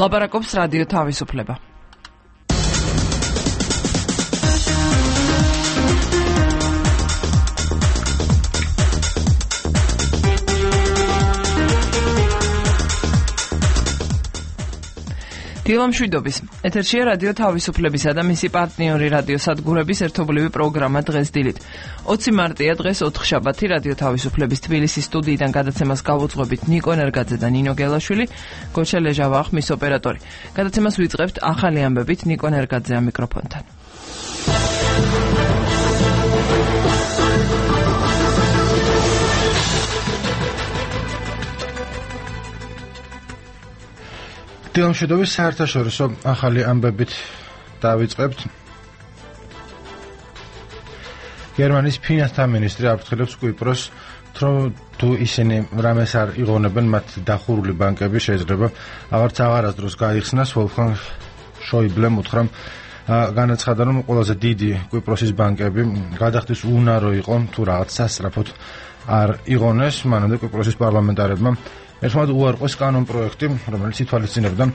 ლაპარაკობს რადიო თავისუფლება. დილამშვიდობის. ეთერშია რადიო თავისუფლებისა და მისი პარტნიორი რადიო სადგურების ერთობლივი პროგრამა დღეს დილით. 20 მარტია დღეს ოთხშაბათი რადიო თავისუფლების თბილისის სტუდიიდან გადაცემას გავუძღვებით ნიკო ენერგაძე და ნინო გელაშვილი, გოჩა ლეჟავა ხმის ოპერატორი. გადაცემას ვიწყებთ ახალი ამბებით ნიკო ენერგაძე ამ მიკროფონთან. დილამშვიდობის საერთაშორისო ახალი ამბებით დავიწყებთ. გერმანიის ფინანსთა მინისტრი აფრთხილებს კვიპროს, რომ თუ ისინი რამეს არ იღონებენ, მათ დახურული ბანკები შეიძლება აღარასდროს გაიხსნას. ვოლფგანგ შოიბლემ უთხრა, განაცხადა, რომ ყველაზე დიდი კვიპროსის ბანკები გადახდის უნარო იყო, თუ რაღაც სასწრაფოდ არ იღონეს. მანამდე კვიპროსის პარლამენტარებმა ერთმანეთ უარყვეს კანონ პროექტი, რომელიც ითვალისწინებდა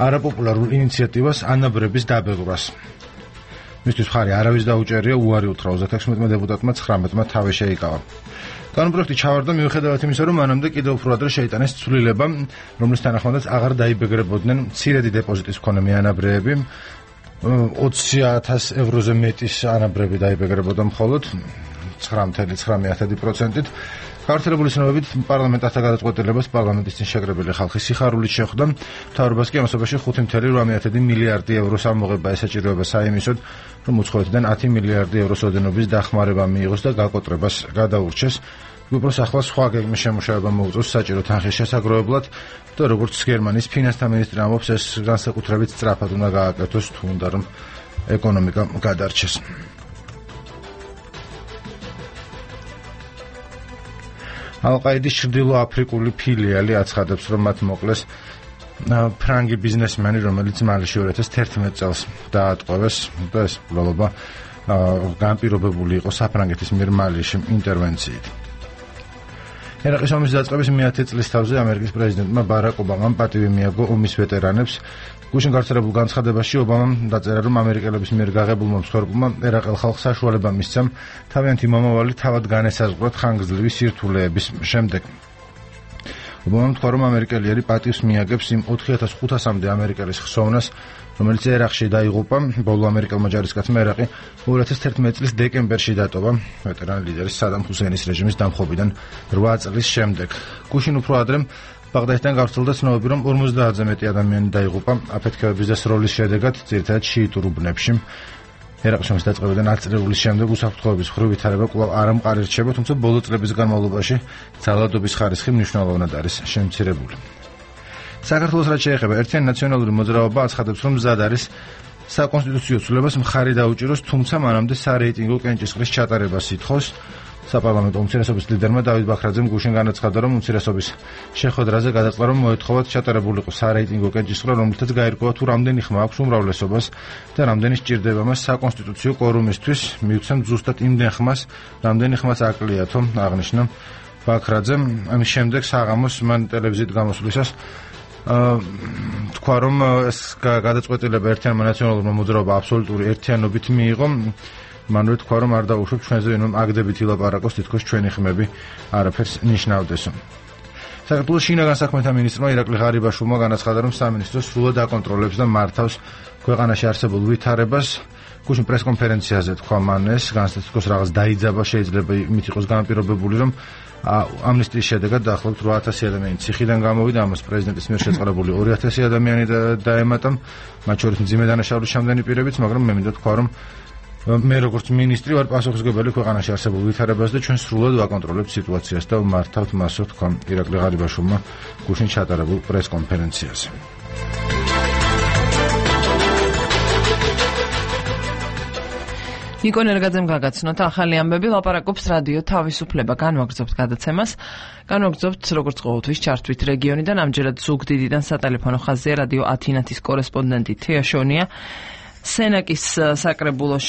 არაპოპულარულ ინიციატივას ანაბრების დაბეღვრას. მისთვის მხარი არავის დაუჭერია, უარი უთხრა 36 დეპუტატმა, 19-მა თავი შეიკავა. კანონ პროექტი ჩავარდა მიუხედავად იმისა, რომ მანამდე კიდევ უფრო ადრე შეიტანეს ცვლილება, რომლის თანახმადაც აღარ დაიბეგრებოდნენ მცირედი დეპოზიტის მქონე ანაბრები, 20,000 ევროზე მეტის ანაბრები დაიბეგრებოდა მხოლოდ 9,9%-ით. გავრცელებული ცნობებით პარლამენტთან გადაწყვეტილებას პარლამენტის წინ შეკრებილი ხალხი სიხარულით შეხვდა. მთავრობას კი ამასობაში 5,8 მილიარდი ევროს ამოღება ესაჭიროება საიმისოდ, რომ უცხოეთიდან 10 მილიარდი ევროს ოდენობის დახმარება მიიღოს და გაკოტრებას გადაურჩეს. კვიპროს ახლა სხვა გეგმის შემუშავება მოუწევს საჭირო თანხის შესაგროვებლად და როგორც გერმანიის ფინანსთა მინისტრი ამბობს, ეს განსაკუთრებით სწრაფად უნდა გააკეთოს, თუ უნდა რომ ეკონომიკა გადარჩეს. ალ-ყაიდის ჩრდილოაფრიკული ფილიალი აცხადებს, რომ მათ მოკლეს ფრანგი ბიზნესმენი, რომელიც მალიში 2011 წელს დაატყვევეს და ეს მკვლელობა განპირობებული იყო საფრანგეთის მიერ მალიში ინტერვენციით. ერაყის ომის დაწყების 100 წლის თავზე ამერიკის პრეზიდენტმა ბარაკ ობამამ პატივი მიაგო ომის ვეტერანებს. გუშინ გავრცელებულ განცხადებაში ობამამ დაწერა, რომ ამერიკელების მიერ გაღებულმა მსხვერპლმა ერაყელ ხალხს საშუალება მისცა თავიანთი მომავალი თავად განესაზღვრათ ხანგრძლივი სირთულეების შემდეგ. ობამამ თქვა, რომ ამერიკელიერი პატივს მიაგებს იმ 4,500-მდე ამერიკელის ხსოვნას, რომელიც ერაყში დაიღუპა. ბოლო ამერიკელმა ჯარისკაცმა ერაყი 2011 წლის დეკემბერში დატოვა ვეტერან ლიდერის სადამ ჰუსეინის რეჟიმის დამხობიდან 8 წლის შემდეგ. გუშინ უფრო ადრე ბაღდადიდან გავრცელდა ცნობები, რომ 50-ზე მეტი ადამიანი დაიღუპა აფეთქებების და სროლის შედეგად, ძირითადად შიიტურ უბნებში. ერაყის ომის დაწყებიდან აწლეულის შემდეგ უსაფრთხოების მხრივ ვითარება კვლავ არ ამყარი რჩება, თუმცა ბოლო წლების განმავლობაში ძალადობის ხარისხი მნიშვნელოვნად არის შემცირებული. საქართველოს რაც შეეხება ერთიანი ნაციონალური მოძრაობა აცხადებს, რომ მზად არის საკონსტიტუციო ცვლილებას მხარი დაუჭიროს, თუმცა მანამდე სარეიტინგო კენჭისყრის ჩატარებას ითხოვს. საპარლამენტო უმცირესობის ლიდერმა დავით ბაქრაძემ გუშინ განაცხადა, რომ უმცირესობის შეხვედრაზე გადაწყდა, რომ მოეთხოვათ ჩატარებულიყო სარეიტინგო კენჭისყრა, რომლითაც გაირკვევა თუ რამდენი ხმა აქვს უმრავლესობას და რამდენი სჭირდება მას საკონსტიტუციო კვორუმისთვის, მიუცემ ზუსტად იმდენ ხმას, რამდენი ხმაც აკლიათო, აღნიშნა ბაქრაძემ. ამის შემდეგ საღამოს მან ტელევიზიით გამოსვლისას თქვა, რომ ეს გადაწყვეტილება ერთიანმა ნაციონალურმა მოძრაობამ აბსოლუტური ერთიანობით მიიღო. მანვე თქვა, რომ არ დაუშვებ ჩვენზე, ვინმე აგდებით ილაპარაკოს, თითქოს ჩვენი ხმები არაფერს ნიშნავდესო. საქართველოს შინაგან საქმეთა მინისტრმა ირაკლი ღარიბაშვილმა განაცხადა, რომ სამინისტრო სრულად აკონტროლებს და მართავს ქვეყანაში არსებულ ვითარებას. გუშინ პრესკონფერენციაზე თქვა მან ეს, განსაკუთრებით რაღაც დაიძაბა, შეიძლება იმით იყოს განპირობებული, რომ ამნისტიის შედეგად დაახლოებით 8,000 ადამიანი ციხიდან გამოვიდა, ამას პრეზიდენტის მიერ შეწყებული 2,000 ადამიანი დაემატა, მათ შორის მძიმე დანაშაულის ჩამდენი პირებიც, მაგრამ მე მინდა თქვა, რომ მე როგორც მინისტრი ვარ პასუხისმგებელი ქვეყანაში არსებულ ვითარებას და ჩვენ სრულად ვაკონტროლებთ სიტუაციას და ვმართავთ მასო, თქვა ირაკლი ღარიბაშვილმა გუშინ ჩატარებულ პრესკონფერენციაზე. ნიკო ენერგაძემ გაგაცნოთ ახალი ამბები, ლაპარაკობს რადიო თავისუფლება. განვაგრძობთ გადაცემას. განვაგრძობთ როგორც ყოველთვის ჩართვით რეგიონიდან, ამჯერად ზუგდიდიდან სატელეფონო ხაზია რადიო ათინათის კორესპონდენტი თეა შონია. სენაკის საკრებულოს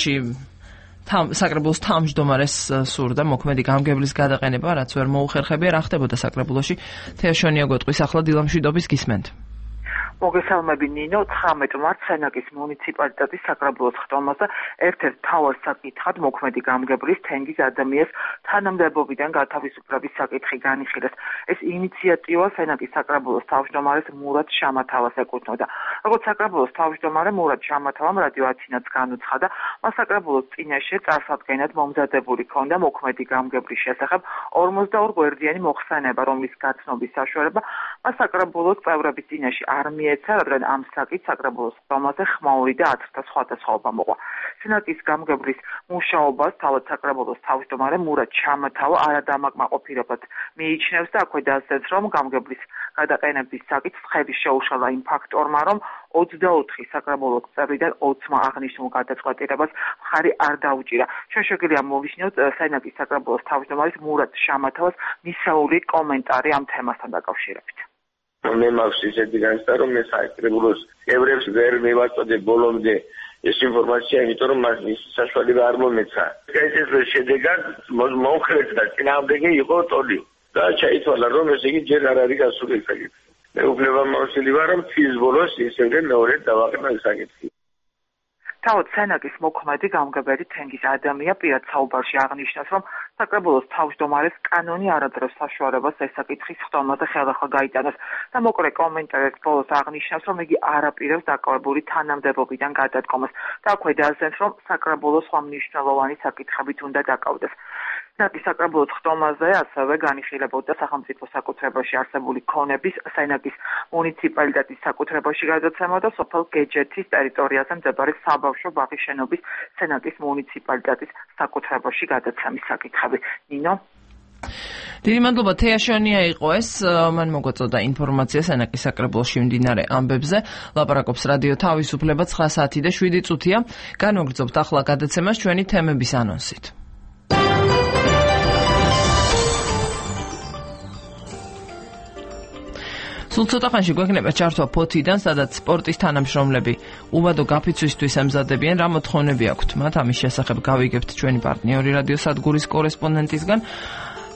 თავმჯდომარეს სურდა მოქმედი გამგებლის გადაყენება, რაც ვერ მოუხერხებია. რა ხდებოდა საკრებულოში? თეა შონია გეტყვის ახლა დილამშვიდობის გისმენთ. მოგესალმები ნინო, 19 მარტს სენაკის მუნიციპალიტეტის საკრებულოს ხტომაზე ერთ-ერთ მთავარ საკითხად მოქმედი გამგებლის თენგიზ ადამიანის თანამდებობიდან გათავისუფლების საკითხი განიხილეს. ეს ინიციატივა სენაკის საკრებულოს თავმჯდომარეს მურად შამათავას ეკუთვნოდა. როგორც საკრებულოს თავმჯდომარე მურად შამათავამ რადიო ათინაც განუცხადა, მას საკრებულოს წინაშე წარსადგენად მომზადებული ჰქონდა მოქმედი გამგებლის შესახებ 42 გვერდიანი მოხსენება, რომლის გაცნობის საშუალება მას საკრებულოს წევრების წინაშე არ მიეცა, რადგან ამ საკითხს საკრებულოს ხტომაზე ხმაური და 10-თა სხვადასხვაობა მოყვა. სენაკის გამგებლის მუშაობას თავად საკრებულოს თავმჯდომარე მურად შამათავა არადამაკმაყოფილებლად მიიჩნევს და აქვე დასძენს, რომ გამგებლის გადაყენების საკითხს ხელი შეუშალა იმ ფაქტორმა, რომ 24 საკრებულოს წევრიდან 20-მა აღნიშნულ გადაწყვეტილებას მხარი არ დაუჭირა. შეგვიძლია მოვისმინოთ სენაკის საკრებულოს თავმჯდომარის მურად შამათავას მისეული კომენტარი ამ თემასთან დაკავშირებით. მე მაქვს ისეთი განცდა, რომ მე საკრებულოს წევრებს ვერ მივაწოდე ბოლომდე ეს ინფორმაცია, იმიტომ რომ მას ის საშუალება არ მომეცა. ეს შედეგად მომხრეთა წინააღმდეგი იყო ტოლი და ჩაითვალა, რომ ეს იგი ჯერ არ არის გასული საკითხი. მე უფლებამოსილი ვარ, რომ თის ბოლოს ისევ მეორედ დავაყენა საკითხი. თავად სენაკის მოქმედი გამგებელი თენგიზ ადამია პირად საუბარში აღნიშნავს, რომ საკრებულოს თავმჯდომარეს კანონი არ აძლევს საშუალებას ეს საკითხის ხტომაზე ხელახლა გაიტანოს და მოკლე კომენტარით ბოლოს აღნიშნავს, რომ იგი არ აპირებს დაკავებული თანამდებობიდან გადადგომას და აქვე დასძენს, რომ საკრებულოს სხვა მნიშვნელოვანი საკითხებით უნდა დაკავდეს. სენაკის საკრებულოს ხტომაზე ასევე განიხილებოდა სახელმწიფო საკუთრებაში არსებული ქონების სენაკის მუნიციპალიტეტის საკუთრებაში გადაცემა და სოფელ გეჯეთის ტერიტორიაზე მდებარე საბავშვო ბაღის შენობის სენაკის მუნიციპალიტეტის საკუთრებაში გადაცემის საკითხები. ნინო. დიდი მადლობა, თეაშონია იყო ეს, მან მოგვაწოდა ინფორმაცია სენაკის საკრებულოში მიმდინარე ამბებზე. ლაპარაკობს რადიო თავისუფლება 9 საათი და 7 წუთია. განვაგრძობთ ახლა გადაცემას ჩვენი თემების ანონსით. სულ ცოტა ხანში გვექნება ჩართვა ფოთიდან, სადაც სპორტის თანამშრომლები უბადო გაფიცვისთვის ემზადებიან, რა მოთხოვნები აქვთ მათ, ამის შესახებ გავიგებთ ჩვენი პარტნიორი რადიო სადგურის კორესპონდენტისგან.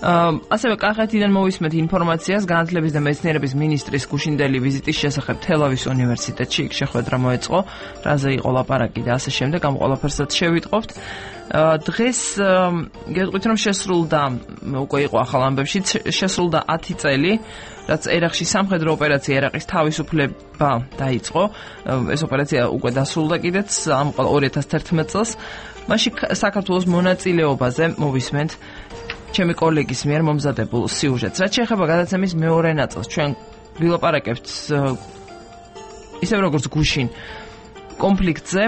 ასევე კახეთიდან მოვისმენთ ინფორმაციას განათლების და მეცნიერების მინისტრის გუშინდელი ვიზიტის შესახებ თელავის უნივერსიტეტში. იქ შეხვედრა მოეწყო, რაზე იყო ლაპარაკი და ასე შემდეგ, ამ ყველაფერსაც შევიტყობთ. დღეს გეტყვით, რომ შესრულდა, უკვე იყო ახალ ამბებში, შესრულდა 10 წელი, რაც ერაყში სამხედრო ოპერაცია ერაყის თავისუფლება დაიწყო. ეს ოპერაცია უკვე დასრულდა კიდეც ამ 2011 წელს. მაშინ საქართველოს მონაწილეობაზე მოვისმენთ ჩემი კოლეგის მიერ მომზადებულ სიუჟეტს. რაც შეეხება გადაცემის მეორე ნაწილს, ჩვენ ვილაპარაკებთ ისევ როგორც გუშინ კონფლიქტზე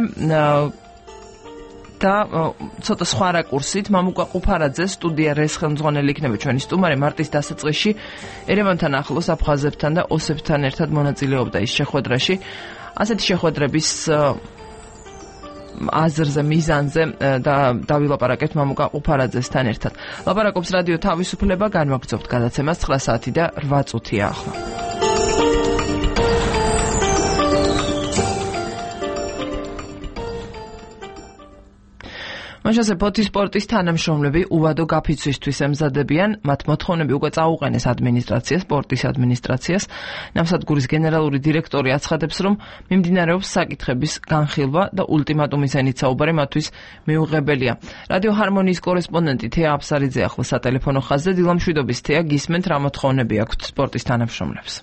და ცოტა სხვა რაკურსით. მამუკა ყუფარაძე სტუდია რეს ხელმძღვანელი იქნება ჩვენი სტუმარი. მარტის დასაწყისში ერევანთან ახლოს აფხაზებთან და ოსებთან ერთად მონაწილეობდა ის შეხვედრაში. ასეთი შეხვედრების აზრზე, მიზანზე და დავილაპარაკებთ მამუკა ყუფარაძესთან ერთად. ლაპარაკობს რადიო თავისუფლება, განვაგრძობთ გადაცემას 9 საათი და 8 წუთია ახლა. მაშასე ფოთის სპორტის თანამშრომლები უბადო გაფიცვისთვის ემზადებიან, მათ მოთხოვნები უკვე წაუყენეს ადმინისტრაციას, სპორტის ადმინისტრაციას. ნავსადგურის გენერალური დირექტორი აცხადებს, რომ მიმდინარეობს საკითხების განხილვა და ულტიმატუმის ენით საუბარი მათთვის მიუღებელია. რადიო ჰარმონიის კორესპონდენტი თეა აფსარიძე ახლა სატელეფონო ხაზზე. დილამშვიდობის თეა, გისმენთ რა მოთხოვნები აქვთ სპორტის თანამშრომლებს?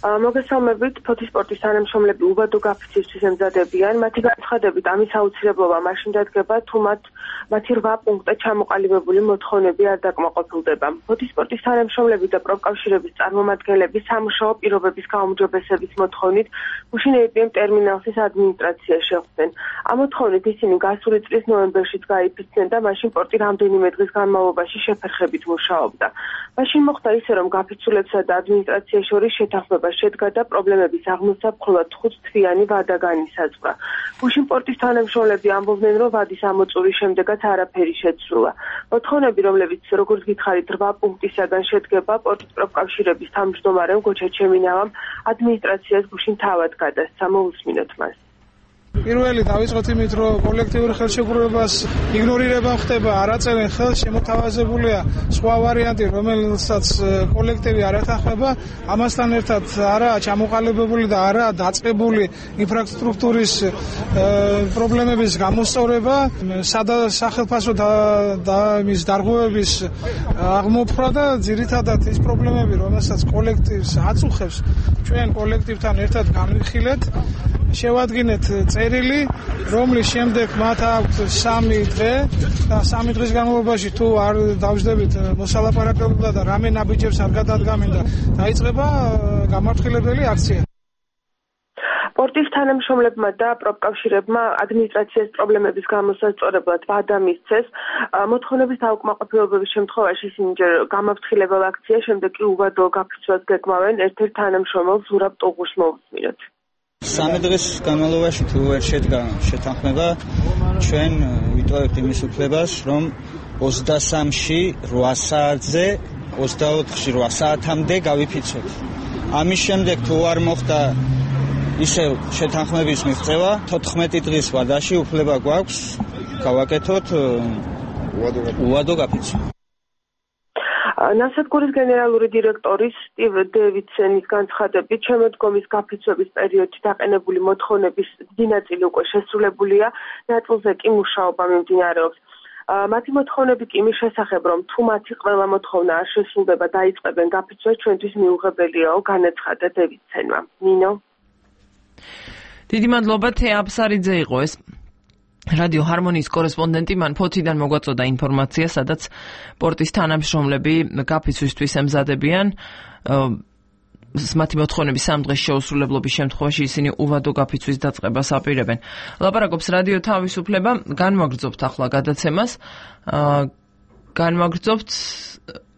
მოგესალმებით, ფოთის სპორტის თანამშრომლები უბადო გაფიცვისთვის ემზადებიან. მათი განცხადებით, ამის აუცილებლობა მაშინ დადგება, თუ მათი 8 პუნქტად ჩამოყალიბებული მოთხოვნები არ დაკმაყოფილდება. ფოთის სპორტის თანამშრომლები და პროფკავშირების წარმომადგენლები სამუშაო პირობების გაუმჯობესების მოთხოვნით გუშინ APM ტერმინალსის ადმინისტრაციაში შეხვდნენ. ამ მოთხოვნით ისინი გასული წლის ნოემბერშიც გაიფიცნენ და მაშინ პორტი რამდენიმე დღის განმავლობაში შეფერხებით მუშაობდა. მაშინ მოხდა ისე, რომ გაფიცულებსა და ადმინისტრაციის შორის შეთანხმება შედგა და პრობლემების აღმოსა მხოლოდ 5 თვიანი ვადა განისაზღვრა. გუშინ პორტის თანამშრომლები ამბობდნენ, რომ ვადის ამოწურის შემდეგაც არაფერი შეცვლა. მოთხოვნები, რომლებიც როგორც გითხარით 8 პუნქტისაგან შედგება, პორტის პროფკავშირების თავმჯდომარემ გოჩა ჩემინავამ ადმინისტრაციას გუშინ თავად გადასცა. მოусმინოთ მას. პირველი დავიწყოთ იმით, რომ კოლექტიური ხელშეკრულებას იგნორირება ხდება, არ აწერენ ხელს, შემოთავაზებულია სხვა ვარიანტი, რომელსაც კოლექტივი არ ეთანხმება, ამასთან ერთად არაა ჩამოყალიბებული და არაა დაწყებული ინფრასტრუქტურის პრობლემების გამოსწორება, სახელმწიფო და მის დარღვევების აღმოფხვრა და ძირითადად ის პრობლემები, რომელსაც კოლექტივს აწუხებს, ჩვენ კოლექტივთან ერთად განვიხილეთ, შევადგინეთ წერილი, რომლის შემდეგ მათ აქვთ 3 დღე და 3 დღის განმავლობაში თუ არ დავждებით მოსალაპარაკებლობა და რამე ნაბიჯებს არ გადადგამენ და დაიწყება გამართლებელი აქცია. სპორტის თანამშრომლებმა და პროფკავშირებმა ადმინისტრაციის პრობლემების გამოსაწორებლად ვადა მისცეს. მოთხოვნების დაუკმაყოფილების შემთხვევაში ისინი ჯერ გამაფრთხილებელ აქცია, შემდეგ კი უვადო გაფიცვას გეგმავენ. ერთ-ერთ თანამშრომელს ზურაბ ტუღურს მოვუსმინოთ. 3 დღის განმავლობაში თუ ვერ შედგა შეთანხმება, ჩვენ ვიტოვებთ იმის უფლებას, რომ 23-ში 8 საათზე 24-ში 8 საათამდე გავიფიცოთ. ამის შემდეგ თუ არ მოხდა ისევ შეთანხმების მიღწევა, 14 დღის ვადაში უფლება გვაქვს გავაკეთოთ უვადო გაფიცვა. ნავსადგურის გენერალური დირექტორის სტივ დევიდსენის განცხადებით, შემოდგომის გაფიცვების პერიოდში დაყენებული მოთხოვნების დიდი ნაწილი უკვე შესრულებულია, ნაწილზე კი მუშაობა მიმდინარეობს. მათი მოთხოვნები კი იმის შესახებ, რომ თუ მათი ყველა მოთხოვნა არ შესრულდება, დაიწყებენ გაფიცვას, ჩვენთვის მიუღებელიაო, განაცხადა დევიდსენმა. ნინო. დიდი მადლობა, თეა აბსარიძე იყო ეს რადიო ჰარმონიის კორესპონდენტი. მან ფოთიდან მოგვაწოდა ინფორმაცია, სადაც სპორტის თანამშრომლები გაფიცვისთვის ემზადებიან. მათი მოთხოვნების 3 დღის შეუსრულებლობის შემთხვევაში ისინი უვადო გაფიცვის დაწყებას აპირებენ. ლაპარაკობს რადიო თავისუფლება. განვაგრძობთ ახლა გადაცემას. განვაგრძობთ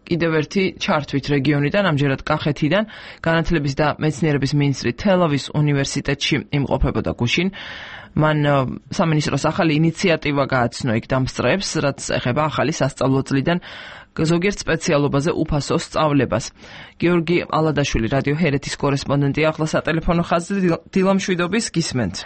კიდევ ერთი ჩართვით რეგიონიდან, ამჯერად კახეთიდან. განათლების და მეცნიერების მინისტრი თელავის უნივერსიტეტში იმყოფებოდა გუშინ. მან სამინისტროს ახალი ინიციატივა გააცნო იქ დამსწრეებს, რაც ეხება ახალი სასწავლო წლიდან ზოგიერთ სპეციალობაზე უფასო სწავლებას. გიორგი ალადაშვილი, რადიო ჰერეთის კორესპონდენტი, ახლა სატელეფონო ხაზზე. დილამშვიდობის, გისმენთ.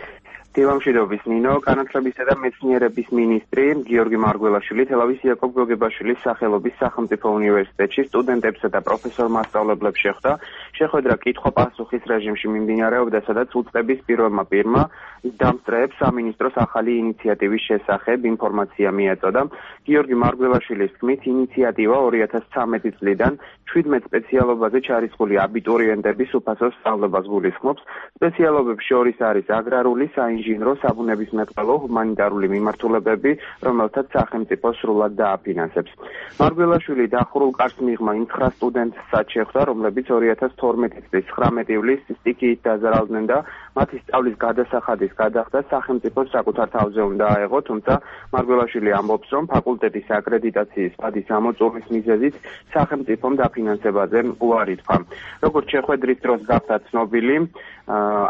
დილამშვიდობის, ნინო. განათლებისა და მეცნიერების მინისტრი გიორგი მარგველაშვილი თელავის იაკობ გოგებაშვილის სახელობის სახელმწიფო უნივერსიტეტში სტუდენტებსა და პროფესორ-მასწავლებლებს შეხვდა. შეხვედრა კითხვა-პასუხის რეჟიმში მიმდინარეობდა, სადაც უწყების პირველმა პირმა დამსწრეებს სამინისტროს ახალი ინიციატივის შესახებ ინფორმაცია მიაწოდა. გიორგი მარგველაშვილის თქმით, ინიციატივა 2013 წლიდან 17 სპეციალობაზე ჩარიცხული აბიტურიენტების უფასო სწავლებას გულისხმობს. სპეციალობებს შორის არის აგრარული, საინჟინრო, საბუნებისმეტყველო, ჰუმანიტარული მიმართულებები, რომელთაც სახელმწიფო სრულად დააფინანსებს. მარგველაშვილი დახურულ კარს მიღმა იმ 9 სტუდენტსაც შეხვდა, რომლებიც 2012 წლის 19 ივლისს სტიქიით დაზარალდნენ და მათი სწავლის გადასახადის გადახდა სახელმწიფოს საკუთარ თავზე უნდა აეღო, თუმცა მარგველაშვილი ამბობს, რომ ფაკულტეტის აკრედიტაციის ვადის ამოწურვის მიზეზით სახელმწიფომ დაფინანსებაზე უარი თქვა. როგორც შეხვედრის დროს გახდა ცნობილი,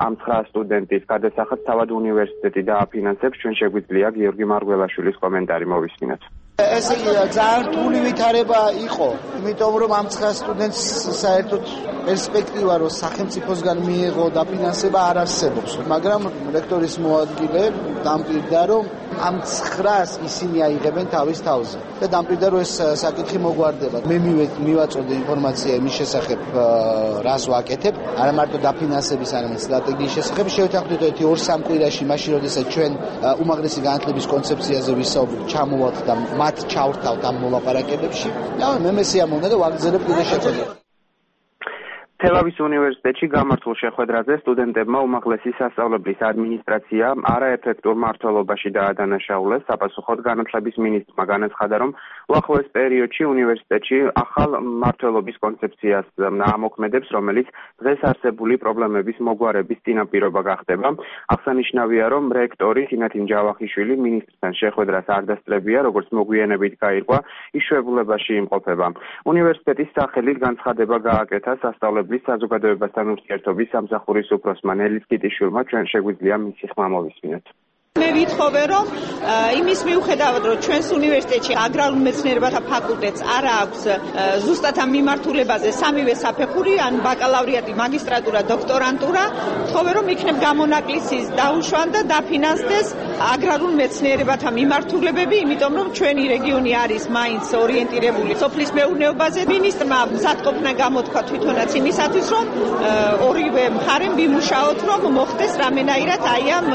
ამ 9 სტუდენტის გადასახადს თავად უნივერსიტეტი დააფინანსებს. ჩვენ შეგვიძლია გიორგი მარგველაშვილის კომენტარი მოვისმინოთ. ეს ძალიან რთული ვითარება იყო, იმიტომ რომ ამ 9 სტუდენტს საერთოდ პერსპექტივა რომ სახელმწიფოსგან მიეღო დაფინანსება არ არსებობს, მაგრამ რექტორის მოადგილე დამკვირდა, რომ ამ 9-ს ისინი აიღებენ თავის თავზე და დამკვირდა, რომ ეს საკითხი მოგვარდება. მე მივაწოდე ინფორმაცია იმის შესახებ, რას ვაკეთებ, არა მარტო დაფინანსების, არამედ სტრატეგიის შესახებ. შევთანხმდით 2-3 კვირაში, მაშინ როდესაც ჩვენ უმაღლესი განათლების კონცეფციაზე ვისაუბრეთ, ჩამოვართ და მათ ჩავრთავთ ამ მოლაპარაკებებში. და მე მესიამოვნდა და ვაგრძელებ კიდე შეხვედრა. თელავის უნივერსიტეტში გამართულ შეხვედრაზე სტუდენტებმა უმაღლესი სასწავლებლის ადმინისტრაცია არაეფექტურ მმართველობაში დაადანაშაულეს. საპასუხოდ განათლების მინისტრმა განაცხადა, რომ უახლოეს პერიოდში უნივერსიტეტში ახალ მმართველობის კონცეფციას ამოქმედებს, რომელიც დღეს არსებული პრობლემების მოგვარების წინაპირობა გახდება. აღსანიშნავია, რომ რექტორი თინათინ ჯავახიშვილი მინისტრთან შეხვედრას არ დასწრებია, როგორც მოგვიანებით გაირკვა, ის შვებულებაში იმყოფება. უნივერსიტეტის სახელით განცხადება გააკეთა სასწავლებლის საზოგადოებასთან ურთიერთობის სამსახურის უფროსმა ნელის კიტიშვილმა. ჩვენ შეგვიძლია მისი ხმა მოვისმინოთ. მე ვითხოვე რომ იმის მიუხედავად რომ ჩვენს უნივერსიტეტში აგრარულ მეცნიერებათა ფაკულტეტს არ აქვს ზუსტად ამ მიმართულებაზე სამივე საფეხური ან ბაკალავრიატი, მაგისტრატურა, დოქტორანტურა, ვთხოვე რომ იქნებ გამონაკლისის დაუშვან და დაფინანსდეს აგრარულ მეცნიერებათა მიმართულებები, იმიტომ რომ ჩვენი რეგიონი არის მაინც ორიენტირებული სოფლის მეურნეობაზე. მინისტრმა მზადყოფნა გამოთქვა თვითონაც იმისათვის რომ ორივე მხარემ ვიმუშაოთ რომ მოხდეს რამენაირად აი ამ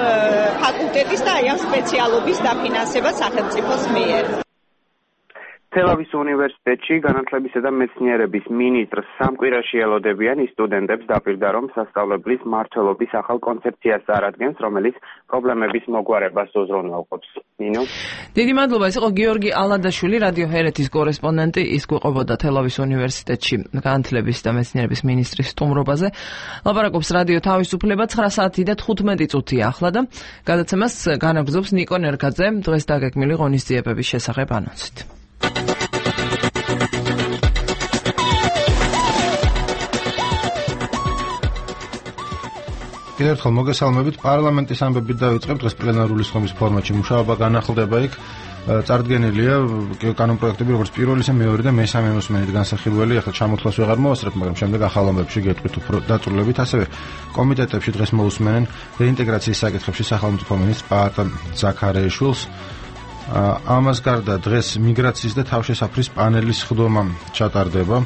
ფაკულტეტის და აი ამ სპეციალობის დაფინანსება სახელმწიფოს მიერ. თელავის უნივერსიტეტში განათლებისა და მეცნიერების მინისტრს სამკვირაში ელოდებიან ის სტუდენტებს დაპირდა, რომ სასწავლებლის მმართველობის ახალ კონცეფციას წარადგენს, რომელიც პრობლემების მოგვარებას უზრუნველყოფს. ნინო. დიდი მადლობა, ეს იყო გიორგი ალადაშვილი, რადიო ჰერეთის კორესპონდენტი, ის გვიყვებოდა თელავის უნივერსიტეტში განათლების და მეცნიერების მინისტრის სტუმრობაზე. ლაპარაკობს რადიო თავისუფლება 9 საათი და 15 წუთია ახლა და გადაცემას განაგრძობს ნიკო ნერგაძე დღეს დაგეგმილი ღონისძიებების შესახებ ანონსით. კიდევ ერთხელ მოგესალმებით. პარლამენტის ამბებით დავიწყებთ. დღეს პლენარული სხდომის ფორმატში მუშაობა განახლდება იქ. წარდგენილია კანონპროექტები, როგორც პირველი, ისე მეორე და მესამე მოსმენით განსახილველი. ახლა ჩამოთვლას ვეღარ მოვასწრებ, მაგრამ შემდეგ ახალ ამბებში გეტყვით უფრო დაწვრილებით. ასევე კომიტეტებში დღეს მოусმენენ რეინტეგრაციის საკითხებში სახელმწიფო მინისტრ პაატა ზაქარეიშვილს. ამას გარდა დღეს მიგრაციის და თავშესაფრის პანელის სხდომა ჩატარდება.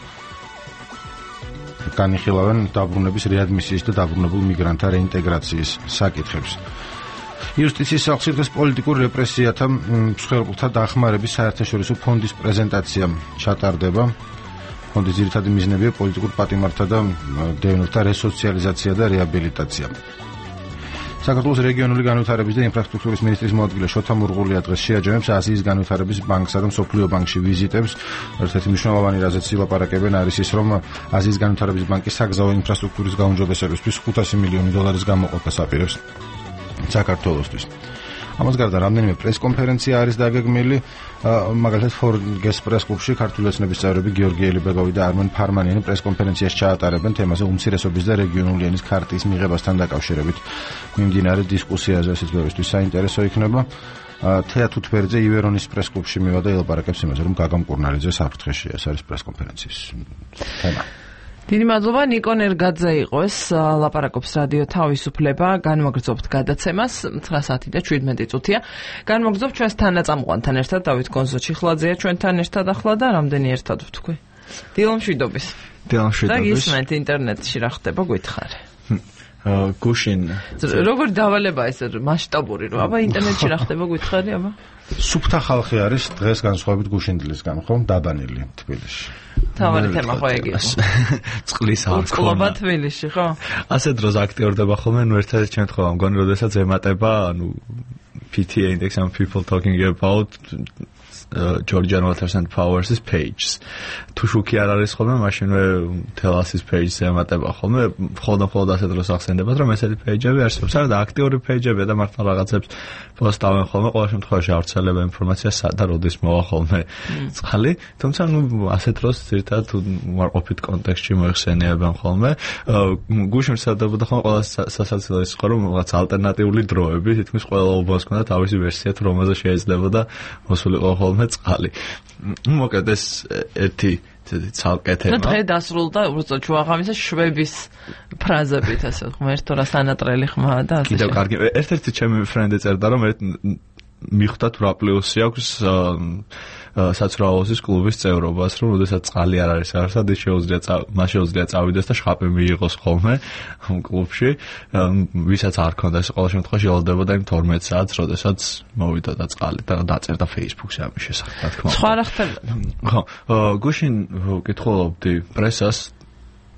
განიხილავენ დაბრუნების რეადმისიის და დაბრუნებულ მიგრანტთა რეინტეგრაციის საკითხებს. იუსტიციის სახლში დღეს პოლიტიკურ რეპრესიათა მსხვერპლთა დახმარების საერთაშორისო ფონდის პრეზენტაცია ჩატარდება. ფონდის ძირითადი მიზნებია პოლიტიკურ პატიმართა და დევნილთა რესოციალიზაცია და რეაბილიტაცია. საქართველოს რეგიონული განვითარების და ინფრასტრუქტურის მინისტრის მოადგილე შოთა მურღულია დღეს შეაჯამებს აზიის განვითარების ბანკსა და მსოფლიო ბანკში ვიზიტებს. ერთ-ერთი მნიშვნელოვანი რაზეც ილაპარაკებენ არის ის, რომ აზიის განვითარების ბანკი საგზაო ინფრასტრუქტურის გაუმჯობესებისთვის 500 მილიონი დოლარის გამოყოფას აპირებს საქართველოსთვის. ამას გარდა რამდენიმე პრესკონფერენცია არის დაგეგმილი, მაგალითად ფორგეს პრესკლუბში ქართული ოცნების წევრები გიორგი ელიბეგოვი და არმენ ფარმანიანი პრესკონფერენციას ჩაატარებენ თემაზე უმცირესობის და რეგიონული ენის ქარტიის მიღებასთან დაკავშირებით. მიმდინარე დისკუსიაზე ესეც ბევრისთვის საინტერესო იქნება. თეა თუთბერძე ივერონის პრესკლუბში მივა და ელაპარაკებს იმაზე, რომ გაგა მკურნალიძე საფრთხეში ეს არის პრესკონფერენციის თემა. დიდი მადლობა, ნიკო ნერგაძე იყო ეს, ლაპარაკობს რადიო თავისუფლება, განვაგრძობთ გადაცემას 9 საათი და 17 წუთია. განვაგრძობთ ჩვენს თანაწამყვანთან ერთად, დავით გონზოჩიხლაძეა ჩვენთან ერთად ახლა და რამდენი ერთად ვთქვი. დილამშვიდობის. დილამშვიდობის. და გისმენთ ინტერნეტში რა ხდება გვითხარე. გუშინ როგორ დავალება ეს მასშტაბური რომ აბა ინტერნეტში რა ხდება გვითხარი აბა სუფთა ხალხი არის დღეს განსხვავებით გუშინდლისგან ხო დაბანილი თბილისში თავარი თემა ხო ეგ იყო წყლის არ ქონა კლუბა თბილისში ხო ასე დროს აქტიურდება ხოლმე ნუ ერთ-ერთი შემთხვევა მგონი როდესაც ემატება ანუ PTA index and people talking about Georgian Waters and Powers' pages. თუ შუქი არ არის ხოლმე, მაშინვე თელასის pages-ზე ემატება ხოლმე, მხოლოდ ასე დროს ახსენდებათ, რომ ესეთი pages-ები არსებობს, არა და აქტიური pages-ები და მართლა რაღაცებს პოსტავენ ხოლმე, ყოველ შემთხვევაში ავრცელება ინფორმაციას და როდის მოვა ხოლმე წყალი, თუმცა ნუ ასე დროს ზირთად უარყოფით კონტექსტში მოიხსენიებენ ხოლმე. გუშინ სარდებოდა ხოლმე ყველა სასაცილო ის ხო რომ რაღაც ალტერნატიული დროები, თითქმის ყველა უბანს ქონდა თავისი ვერსია, თუ რომელზე შეიძლებოდა მოსულიყო ხოლმე წყალი. მოკლედ ეს ერთი ცალკე თემა. დღე დასრულდა უბრალოდ ჩვაღამისა შვების ფრაზებით ასე ღმერთო რა სანატრელი ხმა და ასე. კიდევ კარგი. ერთ-ერთი ჩემი ფრენდი წერდა რომ მიხვდათ რა პლუსი აქვს საცურაოსის კლუბის წევრობას, რომ ოდესაც წყალი არ არის არსად, მას შეუძლია წავიდეს და შხაპი მიიღოს ხოლმე კლუბში, ვისაც არ ქონდა ეს ყოველ შემთხვევაში ელოდებოდა იმ 12 საათს, როდესაც მოვიდა და წყალი და დაწერდა Facebook-ზე ამის შესახებ, რა თქმა უნდა. სხვა რა ხდება? ხო, გუშინ ვკითხულობდი პრესას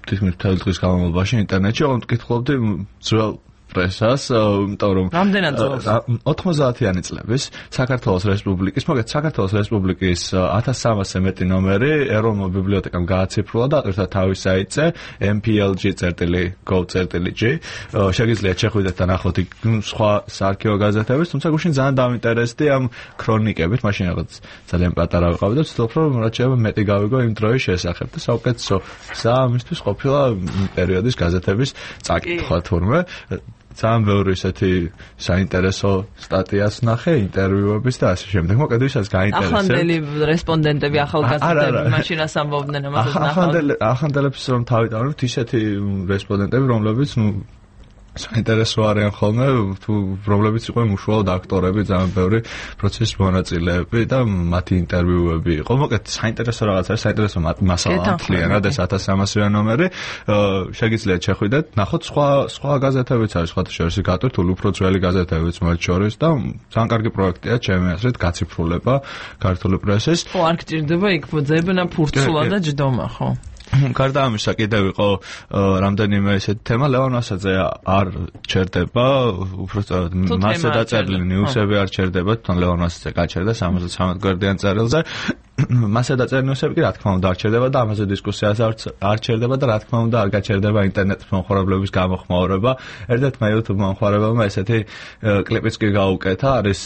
თითქმის მთელი დღის განმავლობაში ინტერნეტში, ვკითხულობდი ძველ პრესას, იმიტომ რომ რამდენად ძველს 90-იანი წლების საქართველოს რესპუბლიკის, მოგეთ საქართველოს რესპუბლიკის 1300-ზე მეტი ნომერი ეროვნულ ბიბლიოთეკამ გააციფრულა და აკეთდა თავის საიტზე mplg.gov.g. შეგიძლიათ შეხვიდეთ და ნახოთ სხვა საარქივო გაზეთების, თუმცა გუშინ ძალიან დავინტერესდი ამ ქრონიკებით, მაშინ რაღაც ძალიან პატარა ვიყავი და ვცდილობ რომ რაც შეიძლება მეტი გავიგო იმ დროის შესახებ და საუკეთესო გზა ამისთვის ყოფილა პერიოდის გაზეთების წაკითხვა თურმე ძალიან ბევრი ესეთი საინტერესო სტატიას ნახე, ინტერვიუების და ასე შემდეგ. მოკლედ ვისაც გაინტერესებს. ახანდელი რესპონდენტები, ახალგაზრდები მაშინ რას ამბობდნენ ამასაც ნახავთ. ახანდელებს რომ თავი დავართ ისეთი რესპონდენტები, რომლებიც საინტერესო არიან ხოლმე, თუ რომლებიც იყვნენ უშუალოდ აქტორები, ძალიან ბევრი პროცესის მონაწილეები და მათი ინტერვიუები იყო. მოკლედ საინტერესო რაღაც არის, საინტერესო მასალა მთლიანად ეს 1300-იან ნომერი. შეგიძლიათ შეხვიდეთ, ნახოთ სხვა გაზეთებიც არის, სხვათა შორის გატვირთული უფრო ძველი გაზეთებიც მათ შორის და ძალიან კარგი პროექტია, ჩემი აზრით, გაციფრულება ქართული პრესის. ხო, არ გჭირდება იქ ძებნა ფურცულა და ჯდომა, ხო? გარდა ამისა კიდევ იყო რამდენიმე ესეთი თემა ლევან ასაძე არ ჩერდება უბრალოდ მასზე დაწერილი ნიუსები არ ჩერდება თან ლევან ასაძე გაჩერდა 73 გვერდიან წერილზე მასზე დაწერილი ნიუსები კი რა თქმა უნდა არ ჩერდება და ამაზე დისკუსიას არ ჩერდება და რა თქმა უნდა არ გაჩერდება ინტერნეტ მომხმარებლების გამოხმაურება ერთ-ერთმა YouTube მომხმარებელმა ესეთი კლიპიც კი გაუკეთა არის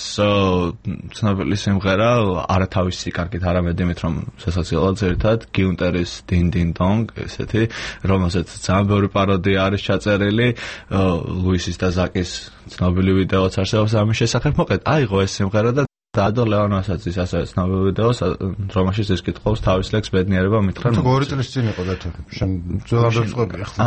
ცნობილი სიმღერა არათავისი კარგით არამედ იმით რომ სასოციალურად ერთად გიუნტერის დინდინ Dong, ესეთი, რომელზეც ძალიან ბევრი პაროდია არის ჩაწერილი, ლუისის და ზაკის ცნობილი ვიდეოც არსებობს ამის შესახებ. მოკლედ, აიღო ეს სიმღერა და დაადო ლევან ასაძის ასევე ცნობილი ვიდეოს, რომელშიც ის კითხავს თავის ლექს ბედნიერება მითხრა. თუ 2 წლის წინ იყო და თუ შენ ძველადაც ყვები ახლა.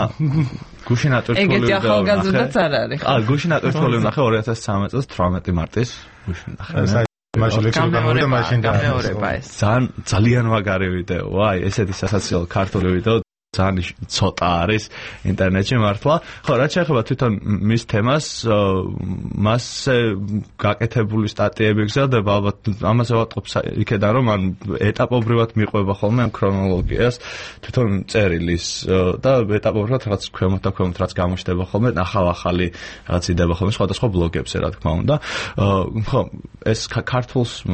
გუშინ ატვირთული ეგეთი ახალგაზრდაც არ არის. გუშინ ატვირთული ნახე 2013 წელს 18 მარტის გუშინ ნახე. ძალიან მაგარი ვიდეოა, აი ესეთი სასაცილო ქართული ვიდეო ძალიან ცოტა არის ინტერნეტში მართლა. ხო, რაც შეეხება თვითონ მის თემას, მასზე გაკეთებული სტატიები გზადდება, ალბათ ამაზე ვატყობ იქედან რომ ან ეტაპობრივად მიყვება ხოლმე ამ ქრონოლოგიას თვითონ წერილის და ეტაპობრივად რაღაც ქვემოთ და ქვემოთ რაც გამოჩნდება ხოლმე, ახალი რაღაც იდება ხოლმე სხვადასხვა ბლოგებზე, რა თქმა უნდა. ხო, ეს ქართულს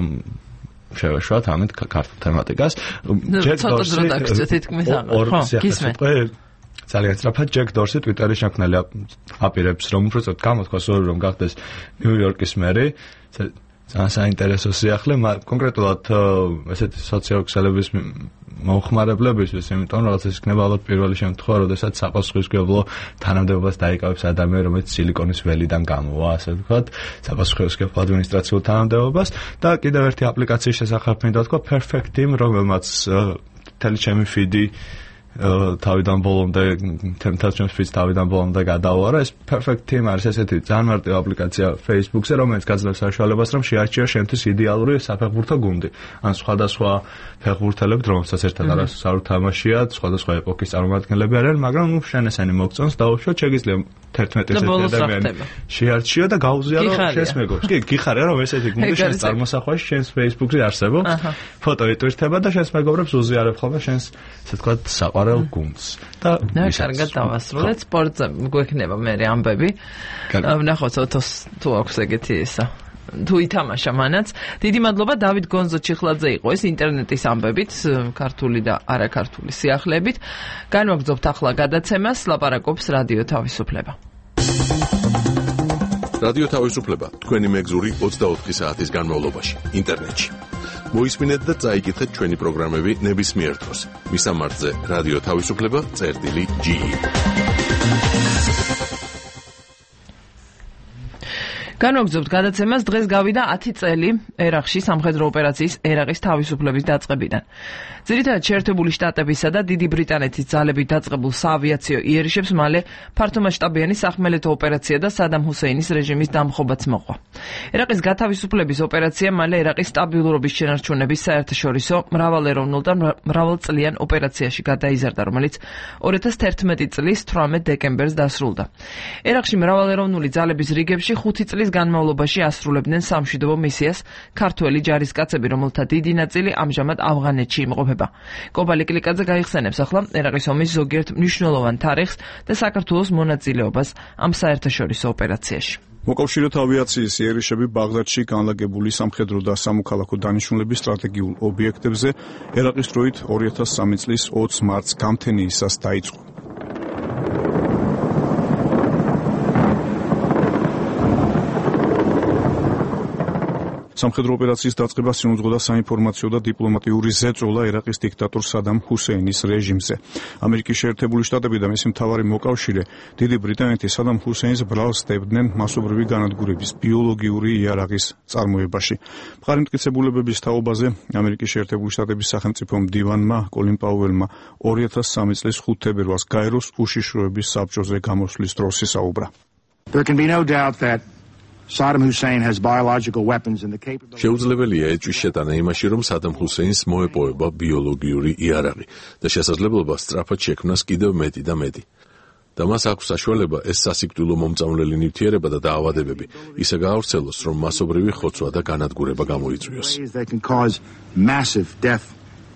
შევეშვათ ამით ქართულ თემატიკას. ცოტა დრო დაგწევთ თითქმის აღარ. ხო, გისმენთ. ძალიან სწრაფად ჯეკ დორსი ტვიტერში შექმნელი აპირებს რომ უბრალოდ გამოთქვას რომ გახდეს ნიუ-იორკის მერი. ძალიან საინტერესო სიახლე, კონკრეტულად ესეთი სოციოქსელების მომხმარებლებისთვის, იმიტომ რომ რაღაც ის იქნება ალბათ პირველი შემთხვევა, როდესაც საპასუხისმგებლო თანამდებობას დაიკავებს ადამიანი, რომელიც სილიკონის ველიდან გამოვა, ასე ვთქვათ, საპასუხისმგებლო ადმინისტრაციულ თანამდებობას და კიდევ ერთი აპლიკაციის შესახებ მინდა ვთქვა, Perfect Team, რომელმაც მთელი ჩემი ფიდი თავიდან ბოლომდე თემთაშემ ფიც თავიდან ბოლომდე გადაუარა. ეს Perfect Team არის ესეთი ძალიან მარტივი აპლიკაცია Facebook-ზე, რომელიც გაძლევს საშუალებას, რომ შეარჩიო შენთვის იდეალური საფეხბურთო გუნდი. ან სხვადასხვა ფეხბურთელები, რომელსაც ერთად არის არ უთამაშიათ, სხვადასხვა ეპოქის წარმომადგენლები არიან, მაგრამ შენ ესენი მოგწონს, დაუშვათ, შეგიძლია 11 ესეთი ადამიანი შეარჩიო და გაუზიარო შენს მეგობრს. კი, გიხარია რომ ესეთი გუნდი შენს წარმოსახვაში შენს Facebook-ზე არსებობს. ფოტო იტვირთება და შენს მეგობრებს უზიარებ ხოლმე შენს, ასე ვთქვათ, საყვარელ გუნდს. და კარგად დავასრულეთ სპორტზე გვექნება მე ამბები. ვნახოთ ოთოს თუ აქვს ეგეთი ისა. თუ ითამაშა მანაც. დიდი მადლობა დავით გონზო ჩიხლაძე იყო ეს ინტერნეტის ამბებით, ქართული და არაქართული სიახლეებით. განვაგრძობთ ახლა გადაცემას, ლაპარაკობს რადიო თავისუფლება. რადიო თავისუფლება თქვენი მეგზური 24 საათის განმავლობაში ინტერნეტში. მოისმინეთ და წაიკითხეთ ჩვენი პროგრამები ნებისმიერ დროს. მისამართზე რადიო თავისუფლება.ge განვაგრძობთ გადაცემას. დღეს გავიდა 10 წელი ერაყში სამხედრო ოპერაციის ერაყის თავისუფლების დაწყებიდან. ძირითადად შეერთებული შტატებისა და დიდი ბრიტანეთის ძალებით დაწყებულ საავიაციო იერიშებს მალე ფართომასშტაბიანი სახმელეთო ოპერაცია და სადამ ჰუსეინის რეჟიმის დამხობაც მოყვა. ერაყის გათავისუფლების ოპერაცია მალე ერაყის სტაბილურობის შენარჩუნების საერთაშორისო მრავალეროვნულ და მრავალწლიან ოპერაციაში გადაიზარდა, რომელიც 2011 წლის 18 დეკემბერს დასრულდა. ერაყში მრავალეროვნული ძალების რიგებში 5 წლის განმავლობაში ასრულებდნენ სამშვიდობო მისიას ქართველი ჯარისკაცები, რომელთა დიდი ნაწილი ამჟამად ავღანეთში იმყოფება. კობალი კლიკაძე გაიხსენებს ახლა ერაყის ომის ზოგიერთ მნიშვნელოვან თარიღს და საქართველოს მონაწილეობას ამ საერთაშორისო ოპერაციაში. მოკავშირეთა ავიაციის იერიშები ბაღდადში განლაგებული სამხედრო და სამოქალაქო დანიშნულების სტრატეგიულ ობიექტებზე ერაყის დროით 2003 წლის 20 მარტს გამთენიისას დაიწყო. სამხედრო ოპერაციის დაწყებას συνუძღოდა საინფორმაციო და დიპლომატიური ზეწოლა ერაყის დიქტატორ სადამ ჰუსეინის რეჟიმზე. ამერიკის შეერთებული შტატები და მისი მთავარი მოკავშირე დიდი ბრიტანეთი სადამ ჰუსეინს ბრალს სდებდნენ მასობრივი განადგურების ბიოლოგიური იარაღის წარმოებაში. მყარი მტკიცებულებების თაობაზე ამერიკის შეერთებული შტატების სახელმწიფო მდივანმა კოლინ პაუელმა 2003 წლის 5 თებერვალს გაეროს უშიშროების საბჭოზე გამოსვლის დროს ისაუბრა. There can be no doubt that Saddam Hussein has biological weapons and the capability. შეუძლებელია ეჭვის შეტანა იმაში, რომ სადამ ჰუსეინს მოეპოვება ბიოლოგიური იარაღი და შესაძლებლობა სწრაფად შექმნას კიდევ მეტი და მეტი. და მას აქვს საშუალება ეს სასიკვდილო მომწამლელი ნივთიერება და დაავადებები ისე გაავრცელოს, რომ მასობრივი ხოცვა და განადგურება გამოიწვიოს. They can cause massive death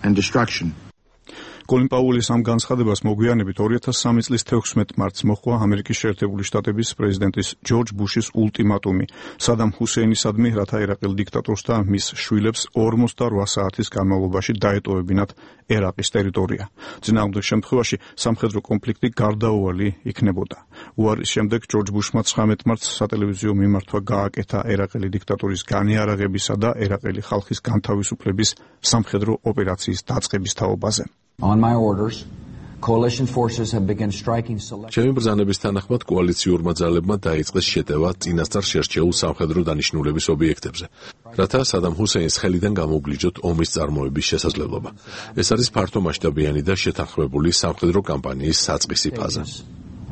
and destruction. კოლინ პაუელის ამ განცხადებას მოგვიანებით 2003 წლის 16 მარტს მოჰყვა ამერიკის შეერთებული შტატების პრეზიდენტის ჯორჯ ბუშის ულტიმატუმი სადამ ჰუსეინისადმი, რათა ერაყელ დიქტატორს და მის შვილებს 48 საათის განმავლობაში დაეტოვებინათ ერაყის ტერიტორია. წინააღმდეგ შემთხვევაში სამხედრო კონფლიქტი გარდაუვალი იქნებოდა. უარის შემდეგ ჯორჯ ბუშმა 19 მარტს სატელევიზიო მიმართვა გააკეთა ერაყელი დიქტატორის განიარაღებისა და ერაყელი ხალხის განთავისუფლების სამხედრო ოპერაციის დაწყების თაობაზე. On my orders, coalition forces have begun striking select. ჩემი ბრძანების თანახმად კოალიციურმა ძალებმა დაიწყეს შეტევა წინასწარ შერჩეულ სამხედრო დანიშნულების ობიექტებზე, რათა სადამ ჰუსეინს ხელიდან გამოგლიჯოთ ომის წარმოების შესაძლებლობა. ეს არის ფართომასშტაბიანი და შეთანხმებული სამხედრო კამპანიის საწყისი ფაზა.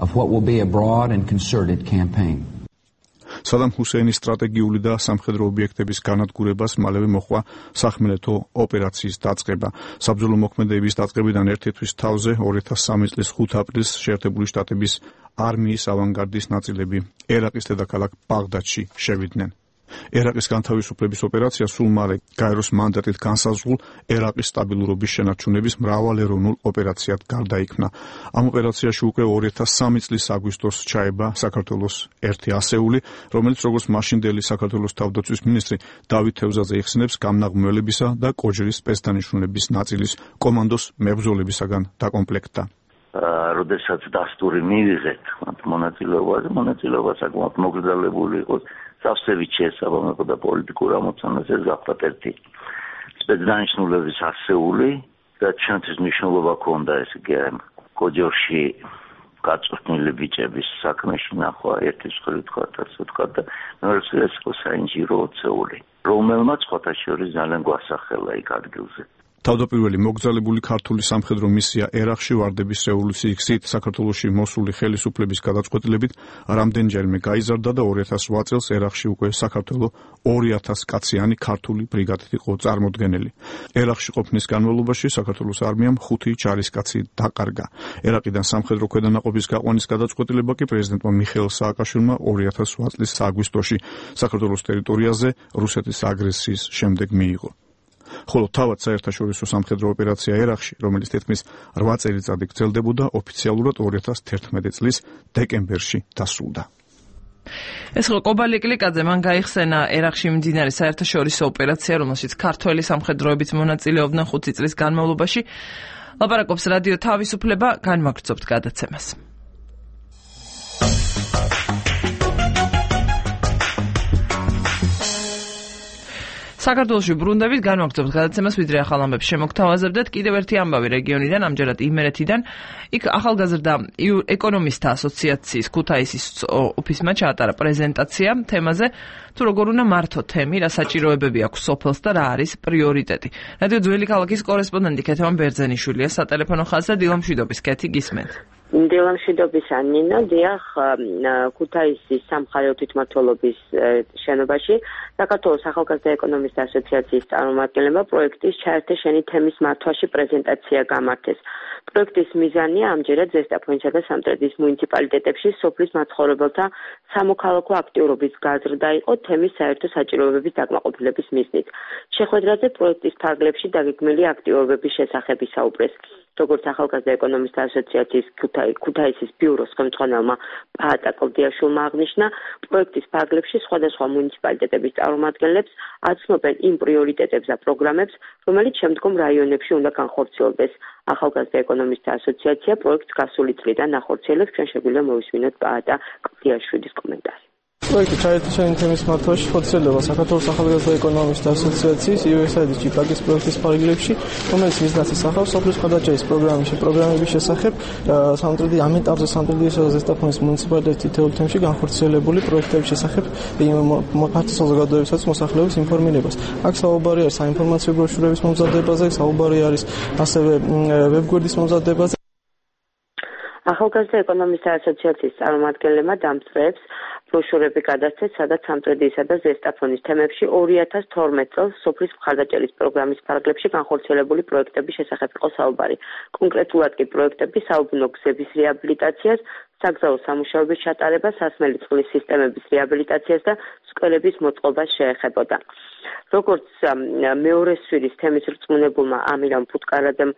Of what will be a broad and concerted campaign. სადამ ჰუსეინის სტრატეგიული და სამხედრო ობიექტების განადგურებას მალევე მოჰყვა სახმელეთო ოპერაციის დაწყება. საბრძოლო მოქმედებების დაწყებიდან ერთი თვის თავზე 2003 წლის 5 აპრილს შეერთებული შტატების არმიის ავანგარდის ნაწილები ერაყის დედაქალაქ ბაღდადში შევიდნენ. ერაყის განთავისუფლების ოპერაცია სულ მალე გაეროს მანდატით განსაზღვრულ ერაყის სტაბილურობის შენარჩუნების მრავალეროვნულ ოპერაციად გარდაიქმნა. ამ ოპერაციაში უკვე 2003 წლის აგვისტოს ჩაება საქართველოს ერთი ასეული, რომელიც როგორც მაშინდელი საქართველოს თავდაცვის მინისტრი დავით თევზაძე იხსენებს გამნაღმველებისა და კოჯრის სპეცდანიშნულების ნაწილის კომანდოს მებრძოლებისაგან დაკომპლექტდა. როდესაც დასტური მივიღეთ მონაწილეობა საკმაოდ მოგრძალებული იყო. სავსებით შეესაბამება და პოლიტიკურ ამოცანას ეს გახლავთ ერთი სპეცდანიშნულების ასეული და ჩვენთვის მნიშვნელობა ჰქონდა ეს იგი კოჯორში გაწვრთნილი ბიჭების საქმეში ნახვა ერთის მხრივ თქვა და მეორე ეს იყო საინჟირო ოცეული რომელმაც სხვათა შორის ძალიან გვასახელა იქ ადგილზე. თავდაპირველი მოგზალებული ქართული სამხედრო მისია ერაყში ვარდების რევოლუციის გზით საქართველოში მოსული ხელისუფლების გადაწყვეტილებით რამდენჯერმე გაიზარდა და 2008 წელს ერაყში უკვე საქართველოს 2000 კაციანი ქართული ბრიგადით იყო წარმოდგენილი. ერაყში ყოფნის განმავლობაში საქართველოს არმიამ 5 ჯარისკაცი დაკარგა. ერაყიდან სამხედრო ქვედანაყოფის გაყვანის გადაწყვეტილება კი პრეზიდენტმა მიხეილ სააკაშვილმა 2008 წლის აგვისტოში საქართველოს ტერიტორიაზე რუსეთის აგრესიის შემდეგ მიიღო. ხოლო თავად საერთაშორისო სამხედრო ოპერაცია ერაყში, რომელიც თითქმის 8 წელიწადი გრძელდებოდა, ოფიციალურად 2011 წლის დეკემბერში დასრულდა. ეს ხო კობალი კლიკაძე მან გაიხსენა ერაყში მიმდინარე საერთაშორისო ოპერაცია, რომელშიც ქართველი სამხედროებიც მონაწილეობდნენ 5 წლის განმავლობაში. ლაპარაკობს რადიო თავისუფლება, განმაგრძობთ გადაცემას. საქართველოში ბრუნდებით განვაგრძობთ გადაცემას, ვიდრე ახალ ამბებს შემოგთავაზებდეთ. კიდევ ერთი ამბავი რეგიონიდან, ამჯერად იმერეთიდან. იქ ახალგაზრდა ეკონომისტთა ასოციაციის ქუთაისის ოფისმა ჩაატარა პრეზენტაცია თემაზე, თუ როგორ უნდა მართო თემი, რა საჭიროებები აქვს სოფელს და რა არის პრიორიტეტი. რადიო ძველი ქალაქის კორესპონდენტი ქეთევან ბერძენიშვილია სატელეფონო ხაზზე. დილამშვიდობის, ქეთი, გისმენთ. დილამშვიდობისა ნინო, დიახ, ქუთაისის სამხარეო თვითმმართველობის შენობაში საქართველოს ახალგაზრდა ეკონომისტთა ასოციაციის წარმომადგენლებმა პროექტის ჩაერთე შენი თემის მართვაში პრეზენტაცია გამართეს. პროექტის მიზანია ამჯერად ზესტაფონისა და სამტრედიის მუნიციპალიტეტებში სოფლის მაცხოვრებელთა სამოქალაქო აქტიურობის გაზრდა იყო თემის საერთო საჭიროებების დაკმაყოფილების მიზნით. შეხვედრაზე პროექტის ფარგლებში დაგეგმილი აქტიურობების შესახებ ისაუბრეს. როგორც ახალგაზრდა ეკონომისტთა ასოციაციის ქუთაისის ბიუროს ხელმძღვანელმა პაატა კლდიაშვილმა აღნიშნა, პროექტის ფარგლებში სხვადასხვა მუნიციპალიტეტების წარმომადგენლებს აცნობენ იმ პრიორიტეტებს და პროგრამებს, რომელიც შემდგომ რაიონებში უნდა განხორციელდეს. ახალგაზრდა ეკონომისტთა ასოციაცია პროექტს გასული წლიდან ახორციელებს. ჩვენ შეგვიძლია მოვისმინოთ პაატა კლდიაშვილის კომენტარი. პროექტი ჩაერთო შენი თემის მართვაში ხორციელდება საქართველოს ახალგაზრდა ეკონომისტთა ასოციაციის USAID ჭიპაკის პროექტის ფარგლებში, რომელიც მიზნად ისახავს სოფლის მხარდაჭერის პროგრამების შესახებ ამ ეტაპზე სამტრედიესა და ზესტაფონის მუნიციპალიტეტის თითოეულ თემში განხორციელებული პროექტების შესახებ ფართო საზოგადოებასაც მოსახლეობის ინფორმირებას. აქ საუბარი არის საინფორმაციო ბროშურების მომზადებაზე, საუბარი არის ასევე ვებგვერდის მომზადებაზე. ახალგაზრდა ეკონომისტთა ასოციაციის წარმომადგენლებმა დამსწრეებს ბროშურები გადასცეს, სადაც სამტრედიესა და ზესტაფონის თემებში 2012 წელს სოფლის მხარდაჭერის პროგრამის ფარგლებში განხორციელებული პროექტების შესახებ იყო საუბარი. კონკრეტულად კი პროექტები საუბნო გზების რეაბილიტაციას, საგზაო სამუშაოების ჩატარებას, სასმელი წყლის სისტემების რეაბილიტაციას და სკოლების მოწყობას შეეხებოდა. როგორც მეორე სვირის თემის რწმუნებულმა ამირამ ფუტკარაძემ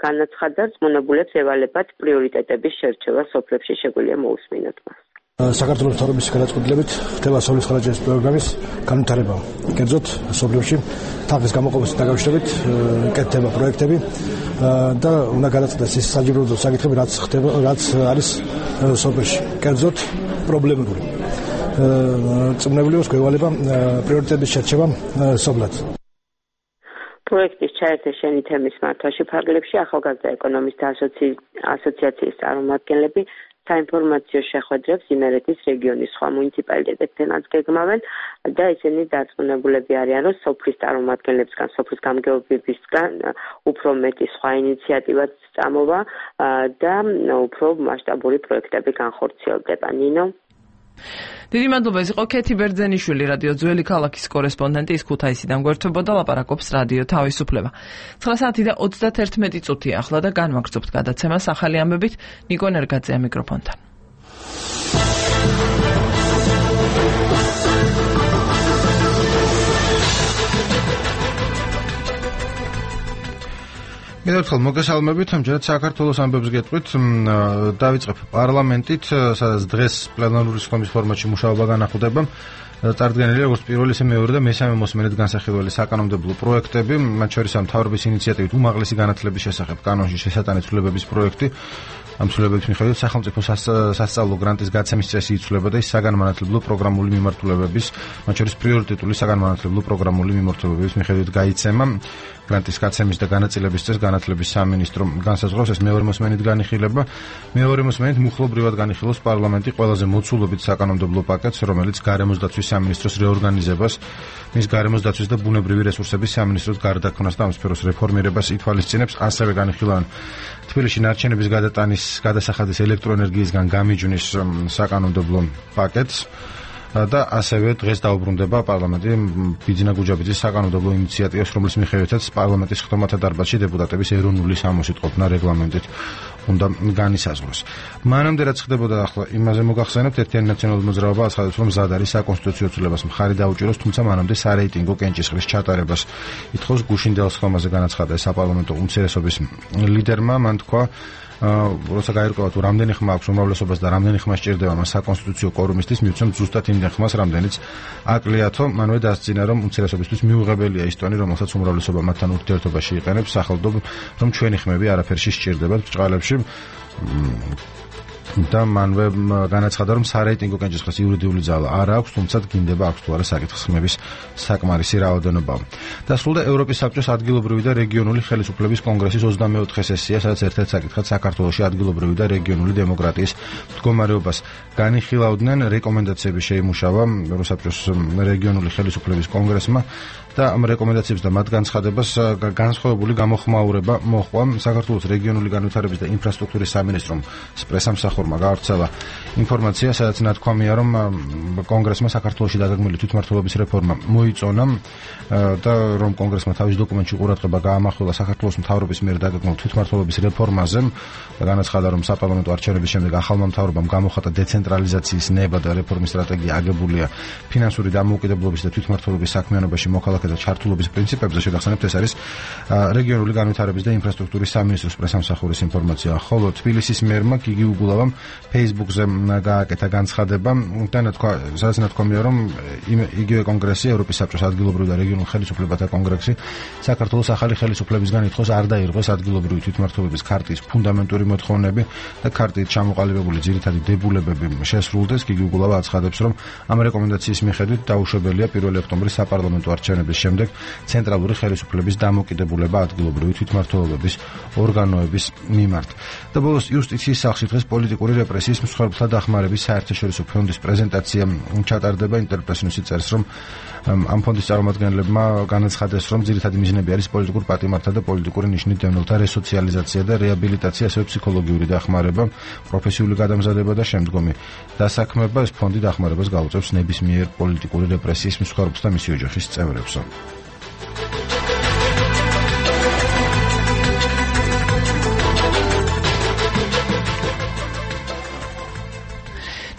განაცხადა, რწმუნებულებს ევალებათ პრიორიტეტების შერჩევა სოფლებში, შეგვიძლია მოусმინოთ მას. საქართველოს მთავრობის გადაწყვეტილებით ხდება სოფლის მხარდაჭერის პროგრამის განვითარება. კერძოდ სოფლებში თანხის გამოყოფასთან დაკავშირებით კეთდება პროექტები და უნდა გადაწყვეტოს ის საჯიბროდო საკითხები, რაც არის სოფლებში. კერძოდ პრობლემური. წმნევლებს გვევალება პრიორიტეტების შერჩევა სოფლად. პროექტის ჩაერთო შენი თემის მართვაში ფარგლებში ახალგაზრდა ეკონომისტთა ასოციაციის წარმომადგენლები საინფორმაციო შეხვედრებს იმერეთის რეგიონის სხვა მუნიციპალიტეტებთანაც გეგმავენ და ისინი დარწმუნებულები არიან, რომ სოფლის წარმომადგენლებისგან, სოფლის გამგეობებისგან უფრო მეტი სხვა ინიციატივაც წამოვა და უფრო მასშტაბური პროექტები განხორციელდება. ნინო დიდი მადლობა, ეს იყო ქეთი ბერძენიშვილი, რადიო ძველი ქალაქის კორესპონდენტი, ის ქუთაისიდან გვერდთვებოდა, ლაპარაკობს რადიო თავისუფლება. 9 საათი და 31 წუთია ახლა და განვაგრძობთ გადაცემას ახალი ამბებით. ნიკო ნერგაძეა მიკროფონთან. მედერთხელ მოგესალმებით, ამჯერად საქართველოს ამბებს გეტყვით. დავიწყებ პარლამენტით, სადაც დღეს პლენარული სხდომის ფორმატში მუშაობა განახლდება. წარდგენილია როგორც პირველი, ისე მეორე და მესამე მოსმენით განსახილველი საკანონმდებლო პროექტები, მათ შორის მთავრობის ინიციატივით უმაღლესი განათლების შესახებ კანონში შესატანი ცვლილებების პროექტი. ამ ცვლილებების მიხედვით სახელმწიფო სასწავლო გრანტის გაცემის წესი იცვლება და ის საგანმანათლებლო პროგრამული მიმართულებების, მათ შორის პრიორიტეტული საგანმანათლებლო პროგრამული მიმართულებების მიხედვით გაიცემა. გრანტის გაცემის და განაწილების წესს განათლების სამინისტრო განსაზღვრავს, ეს მეორე მოსმენით განიხილება. მეორე მოსმენით მუხლობრივად განიხილავს პარლამენტი ყველაზე მოცულობით საკანონმდებლო პაკეტს, რომელიც გარემოს დაცვის სამინისტროს რეორგანიზებას, მის გარემოს დაცვის და ბუნებრივი რესურსების სამინისტროს გარდაქმნას და ამ სფეროს რეფორმირებას ითვალისწინებს. ასევე განიხილავენ თბილისში ნარჩენების გადასახადის ელექტროენერგიისგან გამიჯვნის საკანონმდებლო პაკეტს. და ასევე დღეს დაუბრუნდება პარლამენტი ბიძინა გუჯაბიძის საკანონმდებლო ინიციატივას, რომლის მიხედვითაც პარლამენტის ხდომათა დარბაზში დეპუტატების ეროვნული სამოსიტყოფნა რეგლამენტით უნდა განისაზღვროს. მანამდე რაც ხდებოდა, ახლა იმაზე მოგახსენებთ, ერთიანი ნაციონალური მოძრაობა აცხადებს, რომ მზად არის საკონსტიტუციო ცვლილებას მხარი დაუჭიროს, თუმცა მანამდე სარეიტინგო კენჭისყრის ჩატარებას ითხოვს. გუშინდელს ხდომაზე განაცხადა საპარლამენტო უმცირესობის ლიდერმა, მან თქვა, როცა გაირკვევა თუ რამდენი ხმა აქვს უმრავლესობას და რამდენი ხმა სჭირდება მას საკონსტიტუციო კვორუმისთვის, მივცემ ზუსტად იმდენ ხმას, რამდენიც აკლიათო. მანვე დასძინა, რომ უმცირესობისთვის მიუღებელია ის ტონი, რომელსაც უმრავლესობა მათთან ურთიერთობაში იყენებს, სახელდობ, რომ ჩვენი ხმები არაფერში სჭირდებათ ბრჭყალებში. და მანვე განაცხადა, რომ სარეიტინგო კენჭისყრის იურიდიული ძალა არ აქვს, თუმცა გინდება აქვს თუ არა საკითხის ხმების საკმარისი რაოდენობა. დასრულდა ევროპის საბჭოს ადგილობრივი და რეგიონული ხელისუფლების კონგრესის 24 სესია, სადაც ერთ-ერთ საკითხად საქართველოში ადგილობრივი და რეგიონული დემოკრატიის მდგომარეობას განიხილავდნენ. რეკომენდაციები შეიმუშავა ევროსაბჭოს რეგიონული ხელისუფლების კონგრესმა და ამ რეკომენდაციებს და მათ განცხადებას განსხვავებული გამოხმაურება მოჰყვა. საქართველოს რეგიონული განვითარების და ინფრასტრუქტურის სამინისტრომ პრესამსახურმა გაავრცელა ინფორმაცია, სადაც ნათქვამია, რომ კონგრესმა საქართველოში დაგეგმილი თვითმმართველობის რეფორმა მოიწონა და რომ კონგრესმა თავის დოკუმენტში ყურადღება გაამახვილა საქართველოს მთავრობის მიერ დაგეგმილ თვითმმართველობის რეფორმაზე და განაცხადა, რომ საპარლამენტო არჩევნების შემდეგ ახალმა მთავრობამ გამოხატა დეცენტრალიზაციის ნება და რეფორმის სტრატეგია აგებულია ფინანსური დამოუკიდებლობის და თვითმმართველობის საქმიანობაში მოქალაქეთა მოქალაქეთა ჩართულობის პრინციპებზე შეგახსენებთ, ეს არის რეგიონული განვითარების და ინფრასტრუქტურის სამინისტროს პრესამსახურის ინფორმაცია. ხოლო თბილისის მერმა გიგი უგულავამ Facebook-ზე გააკეთა განცხადება და სადაც ნათქვამია, რომ იგივე კონგრესი, ევროპის საბჭოს ადგილობრივ და რეგიონულ ხელისუფლებათა კონგრესი საქართველოს ახალი ხელისუფლებისგან ითხოვს არ დაირღვეს ადგილობრივი თვითმმართველობის ქარტიის ფუნდამენტური მოთხოვნები და ქარტიით ჩამოყალიბებული ძირითადი დებულებები შესრულდეს. გიგი უგულავა აცხადებს, რომ ამ რეკომენდაციის მიხედვით დაუშვებელია 1 ოქტომბრის საპარლამენტო არჩევნების შემდეგ ცენტრალური ხელისუფლების დამოკიდებულება ადგილობრივი თვითმმართველობის ორგანოების მიმართ. და ბოლოს იუსტიციის სახლში დღეს პოლიტიკური რეპრესიის მსხვერპლთა დახმარების საერთაშორისო ფონდის პრეზენტაცია ჩატარდება. ინტერპრესნიუსი წერს, რომ ამ ფონდის წარმომადგენლებმა განაცხადეს, რომ ძირითადი მიზნები არის პოლიტიკურ პატიმართა და პოლიტიკური ნიშნით დევნილთა რესოციალიზაცია და რეაბილიტაცია, ასევე ფსიქოლოგიური დახმარება, პროფესიული გადამზადება და შემდგომი დასაქმება. ეს ფონდი დახმარებას გაუწევს ნებისმიერ პოლიტიკური რეპრესიის მსხვერპლს და მისი ოჯახის წევრებს.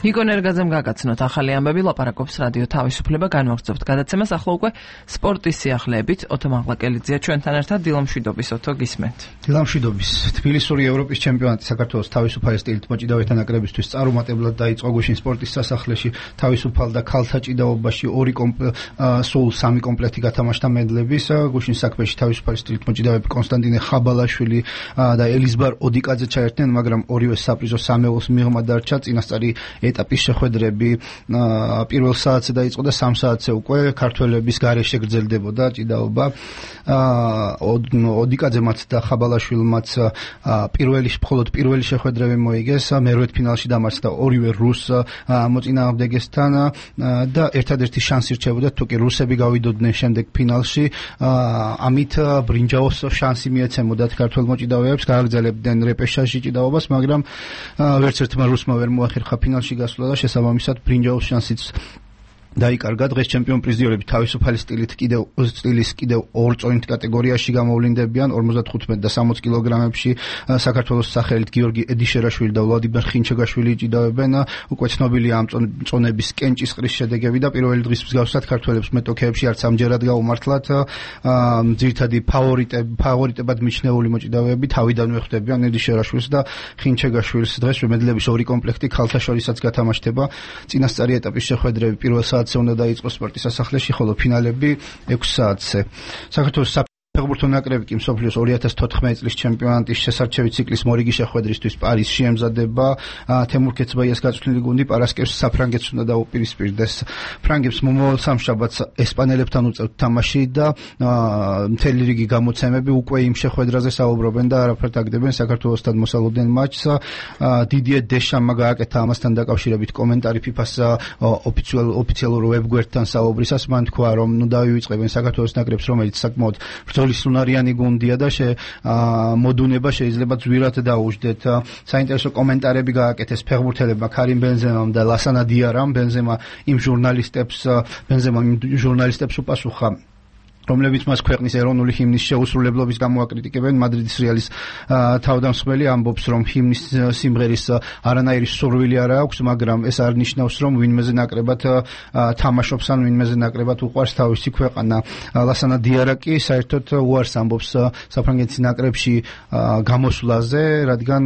ნიკო ნერგაძემ გაგაცნოთ ახალი ამბები, ლაპარაკობს რადიო თავისუფლება, განვაგრძობთ გადაცემას. ახლა უკვე სპორტის სიახლეებით ოთო მაღლაკელიძეა ჩვენთან ერთად. დილამშვიდობის ოთო, გისმენთ. დილამშვიდობის. თბილისური ევროპის ჩემპიონატი საქართველოს თავისუფალი სტილით მოჭიდავეთა ნაკრებისთვის წარუმატებლად დაიწყო გუშინ სპორტის სასახლეში. თავისუფალ და ქალთა ჭიდაობაში სულ 3 კომპლექტი გათამაშდა მედლების. გუშინ საქმეში თავისუფალი სტილით მოჭიდავეები კონსტანტინე ხაბალაშვილი და ელიზბარ ოდიკაძე ჩაერთნენ, მაგრამ ორივე საპრიზო სამეულს მიღმა დარჩა. წინასწარი ეტაპის შეხვედრები პირველ საათზე დაიწყო და 3 საათზე უკვე ქართველების გარეშე გრძელდებოდა ჭიდაობა. ოდიკაძემაც და ხაბალაშვილმაც მხოლოდ პირველი შეხვედრები მოიგეს, მერვედ ფინალში დამარცხდა ორივე რუს მოწინააღმდეგესთან და ერთადერთი შანსი რჩებოდა თუ კი რუსები გავიდოდნენ შემდეგ ფინალში, ამით ბრინჯაოს შანსი მიეცემოდათ ქართველ მოჭიდავეებს, გააგრძელებდნენ რეპეშაჟი ჭიდაობას, მაგრამ ვერც ერთმა რუსმა ვერ მოახერხა ფინალში გასვლა და შესაბამისად ბრინჯაოს შანსიც დაიკარგა. დღეს ჩემპიონ პრიზიორები თავისუფალი სტილის კიდევ 2 წონით კატეგორიაში გამოვლინდებიან 55 და 60 კილოგრამებში. საქართველოს სახელით გიორგი ედიშერაშვილი და ვლადიმერ ხინჩეგაშვილი ჭიდავებენ. უკვე ცნობილია ამ წონების კენჭისყრის შედეგები და პირველი დღის მსგავსად ქართველებს მეტოქეებში არც ამჯერად გაუმართლათ. ძირითადი ფავორიტებად მიჩნეული მოჭიდავეები თავიდანვე ხვდებიან ედიშერაშვილს და ხინჩეგაშვილს. დღეს მედლების 2 კომპლექტი ქალთა შორისაც გათამაშდება. წინასწარი ეტაპის შეხვედრები პირველ საათზე უნდა დაიწყოს სპორტის სასახლეში, ხოლო ფინალები 6 საათზე. საქართველოს ფეხბურთო ნაკრები კი მსოფლიოს 2014 წლის ჩემპიონატის შესარჩევი ციკლის მორიგი შეხვედრისთვის პარიზში ემზადება. თემურ ქეცბაიას გაწვრთნილი გუნდი პარასკევს საფრანგეთს უნდა დაუპირისპირდეს. ფრანგებს მომავალ სამშაბათს ესპანელებთან უწევთ თამაში და მთელი რიგი გამოცემები უკვე იმ შეხვედრაზე საუბრობენ და არაფერთ აგდებენ საქართველოსთან მოსალოდნელ მატჩს. დიდიე დეშამმა გააკეთა ამასთან დაკავშირებით კომენტარი FIFA-ს ოფიციალურ ვებგვერდთან საუბრისას. მან თქვა, რომ დავივიწყებენ საქართველოს ნაკრებს, რომელიც საკმაოდ სულუნარიანი გუნდია და მოდუნება შეიძლება ძვირად დაუждეთ. საინტერესო კომენტარები გააკეთეს ფეხბურთელებმა ქარიმ ბენზემამ და ლასანა დიარამ. ბენზემა იმ ჟურნალისტებს უპასუხა, რომლებიც მას ქვეყნის ეროვნული ჰიმნის შეუსრულებლობის გამო აკრიტიკებენ. მადრიდის რეალის თავდამსხმელი ამბობს, რომ ჰიმნის სიმღერის არანაირი სურვილი არ აქვს, მაგრამ ეს არ ნიშნავს, რომ ვინმეზე ნაკრებად თამაშობს ან ვინმეზე ნაკრებად უყვარს თავისი ქვეყანა. ლასანა დიარა კი საერთოდ უარს ამბობს საფრანგეთის ნაკრებში გამოსვლაზე, რადგან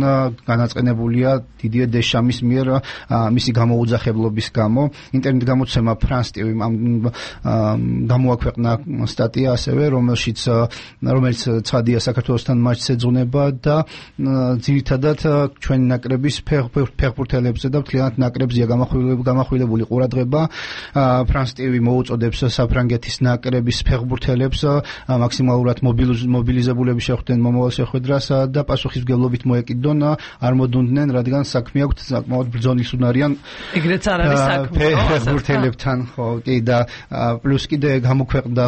განაწყენებულია დიდიე დეშამის მიერ მისი გამოუძახებლობის გამო. ინტერნეტ გამოცემა France TV-მ გამოაქვეყნა სტატია ასევე, რომელიც ცხადია საქართველოსთან მატჩს ეძღვნება და ძირითადად ჩვენი ნაკრების ფეხბურთელებზე და მთლიანად ნაკრებზია გამახვილებული ყურადღება. France TV მოუწოდებს საფრანგეთის ნაკრების ფეხბურთელებს მაქსიმალურად მობილიზებულები შეხვდნენ მომავალ შეხვედრას და პასუხისმგებლობით მოეკიდონ, არ მოდუნდნენ, რადგან საქმე აქვთ საკმაოდ ბრძოლისუნარიან ეგრეც არ არის საქმე ფეხბურთელებთან. ხო, კი და პლუს კიდე გამოქვეყნდა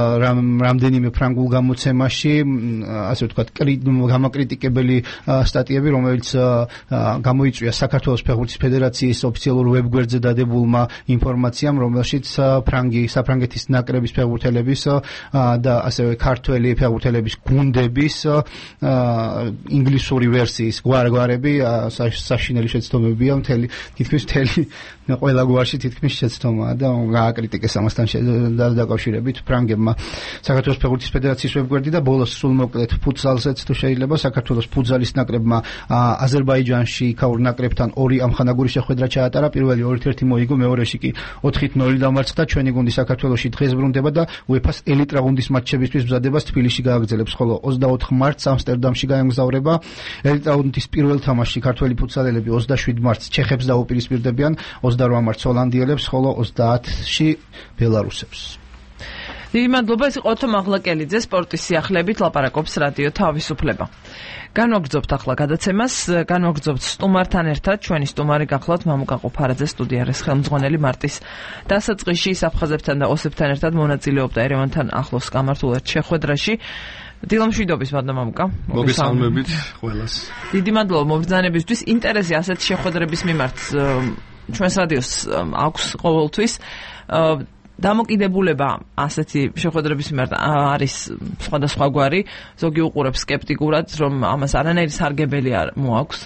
რამდენიმე ფრანგულ გამოცემაში, ასე ვთქვათ, გამაკრიტიკებელი სტატიები, რომელიც გამოიწვია საქართველოს ფეხბურთის ფედერაციის ოფიციალურ ვებგვერდზე დადებულმა ინფორმაციამ, რომელშიც საფრანგეთის ნაკრების ფეხბურთელების და ასევე ქართველი ფეხბურთელების გუნდების ინგლისური ვერსიის გვარები საშინელი შეცდომებია, თითქმის ყველა გვარში თითქმის შეცდომაა და გააკრიტიკეს ამასთან დაკავშირებით ფრანგებმა. საქართველოს ფეხბურთის ფედერაციის ვებგვერდი და ბოლოს სულ მოკლედ ფუტსალზეც თუ შეიძლება საქართველოს ფუტზალის ნაკრებმა აზერბაიჯანში იქაურ ნაკრებთან 2 ამხანაგური შეხვედრა ჩაატარა. პირველი 2-1 მოიგო, მეორეში კი 4-0 დამარცხდა. ჩვენი გუნდი საქართველოში დღეს ბრუნდება და UEFA-ს ელიტ რაუნდის მატჩებისთვის მზადებას თბილისში გააგრძელებს, ხოლო 24 მარტს ამსტერდამში გაემგზავრება. ელიტ რაუნდის პირველ თამაშში ქართველი ფუტსალელები 27 მარტს ჩეხებს დაუპირისპირდებიან, 28 მარტს ჰოლანდიელებს, ხოლო 30-ში ბელარუსებს. დიდი მადლობა, ეს იყო თომ აღლაკელიძე სპორტის სიახლეებით ლაპარაკობს რადიო თავისუფლება. განვაგრძობთ ახლა გადაცემას, განვაგრძობთ სტუმართან ერთად, ჩვენი სტუმარი გახლავთ მამუკა ყოფარაძე, სტუდიაში ხელმძღვანელი მარტის დასაწყისში საფხაზებთან და ოსებთან ერთად მონაწილეობდა ერევანთან ახლოს გამართულ შეხვედრაში. დილამშვიდობის მადლობა მამუკა. მოგესალმებით ყველას. დიდი მადლობა მობრძანებისთვის, ინტერესი ასეთ შეხვედრების მიმართ ჩვენს რადიოს აქვს ყოველთვის. დამოკიდებულება ასეთი შეხვედრების მიმართ არის სხვადასხვაგვარი, ზოგი უყურებს სკეპტიკურად, რომ ამას არანაირი სარგებელი არ მოაქვს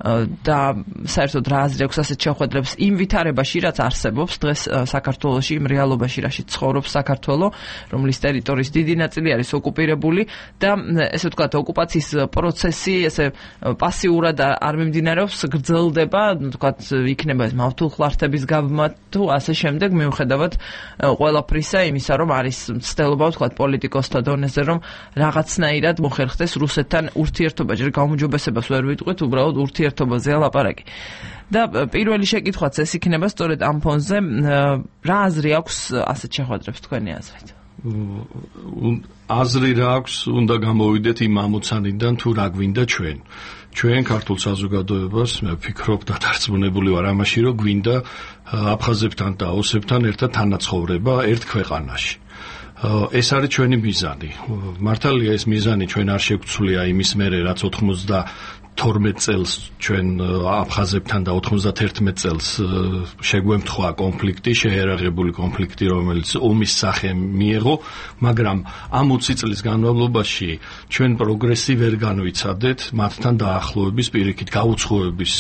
და საერთოდ რა აზრი აქვს ასეთ შეხვედრებს იმ ვითარებაში, რაც არსებობს დღეს საქართველოში, იმ რეალობაში, რაში ცხოვრობს საქართველო, რომლის ტერიტორიის დიდი ნაწილი არის ოკუპირებული და ესე ვთქვათ, ოკუპაციის პროცესი ესე პასიურად არ მიმდინარეობს, გრძელდება, ვთქვათ, იქნება ეს მავთულხლართების გაბმა თუ ასე შემდეგ, მიუხედავად ყველაფრისა იმისა, რომ არის ცდილობა, ვთქვათ, პოლიტიკოსთა დონეზე, რომ რაღაცნაირად მოხერხდეს რუსეთთან ურთიერთობა, ჯერ გაუმჯობესებას ვერ ვიტყვით, უბრალოდ ურთიერთობაზეა ლაპარაკი. და პირველი შეკითხვაც ეს იქნება სწორედ ამ ფონზე, რა აზრი აქვს ასეთ შეხვედრებს თქვენი აზრით? აზრი რა აქვს, უნდა გამოვიდეთ იმ ამოცანიდან თუ რა გვინდა ჩვენ. ჩვენ ქართულ საზოგადოებას მე ვფიქრობ და დარწმუნებული ვარ ამაში, რომ გვინდა აფხაზებთან და ოსებთან ერთად თანაცხოვრება ერთ ქვეყანაში. ეს არის ჩვენი მიზანი. მართალია ეს მიზანი ჩვენ არ შეგვცვლია იმის მერე, რაც 92 წელს ჩვენ აფხაზებთან და 91 წელს შეგვემთხვა კონფლიქტი, შეერაღებული კონფლიქტი, რომელიც ომის სახე მიიღო, მაგრამ ამ 20 წლის განმავლობაში ჩვენ პროგრესი ვერ განვიცადეთ, მათთან დაახლოების პირიქით გაუცხოების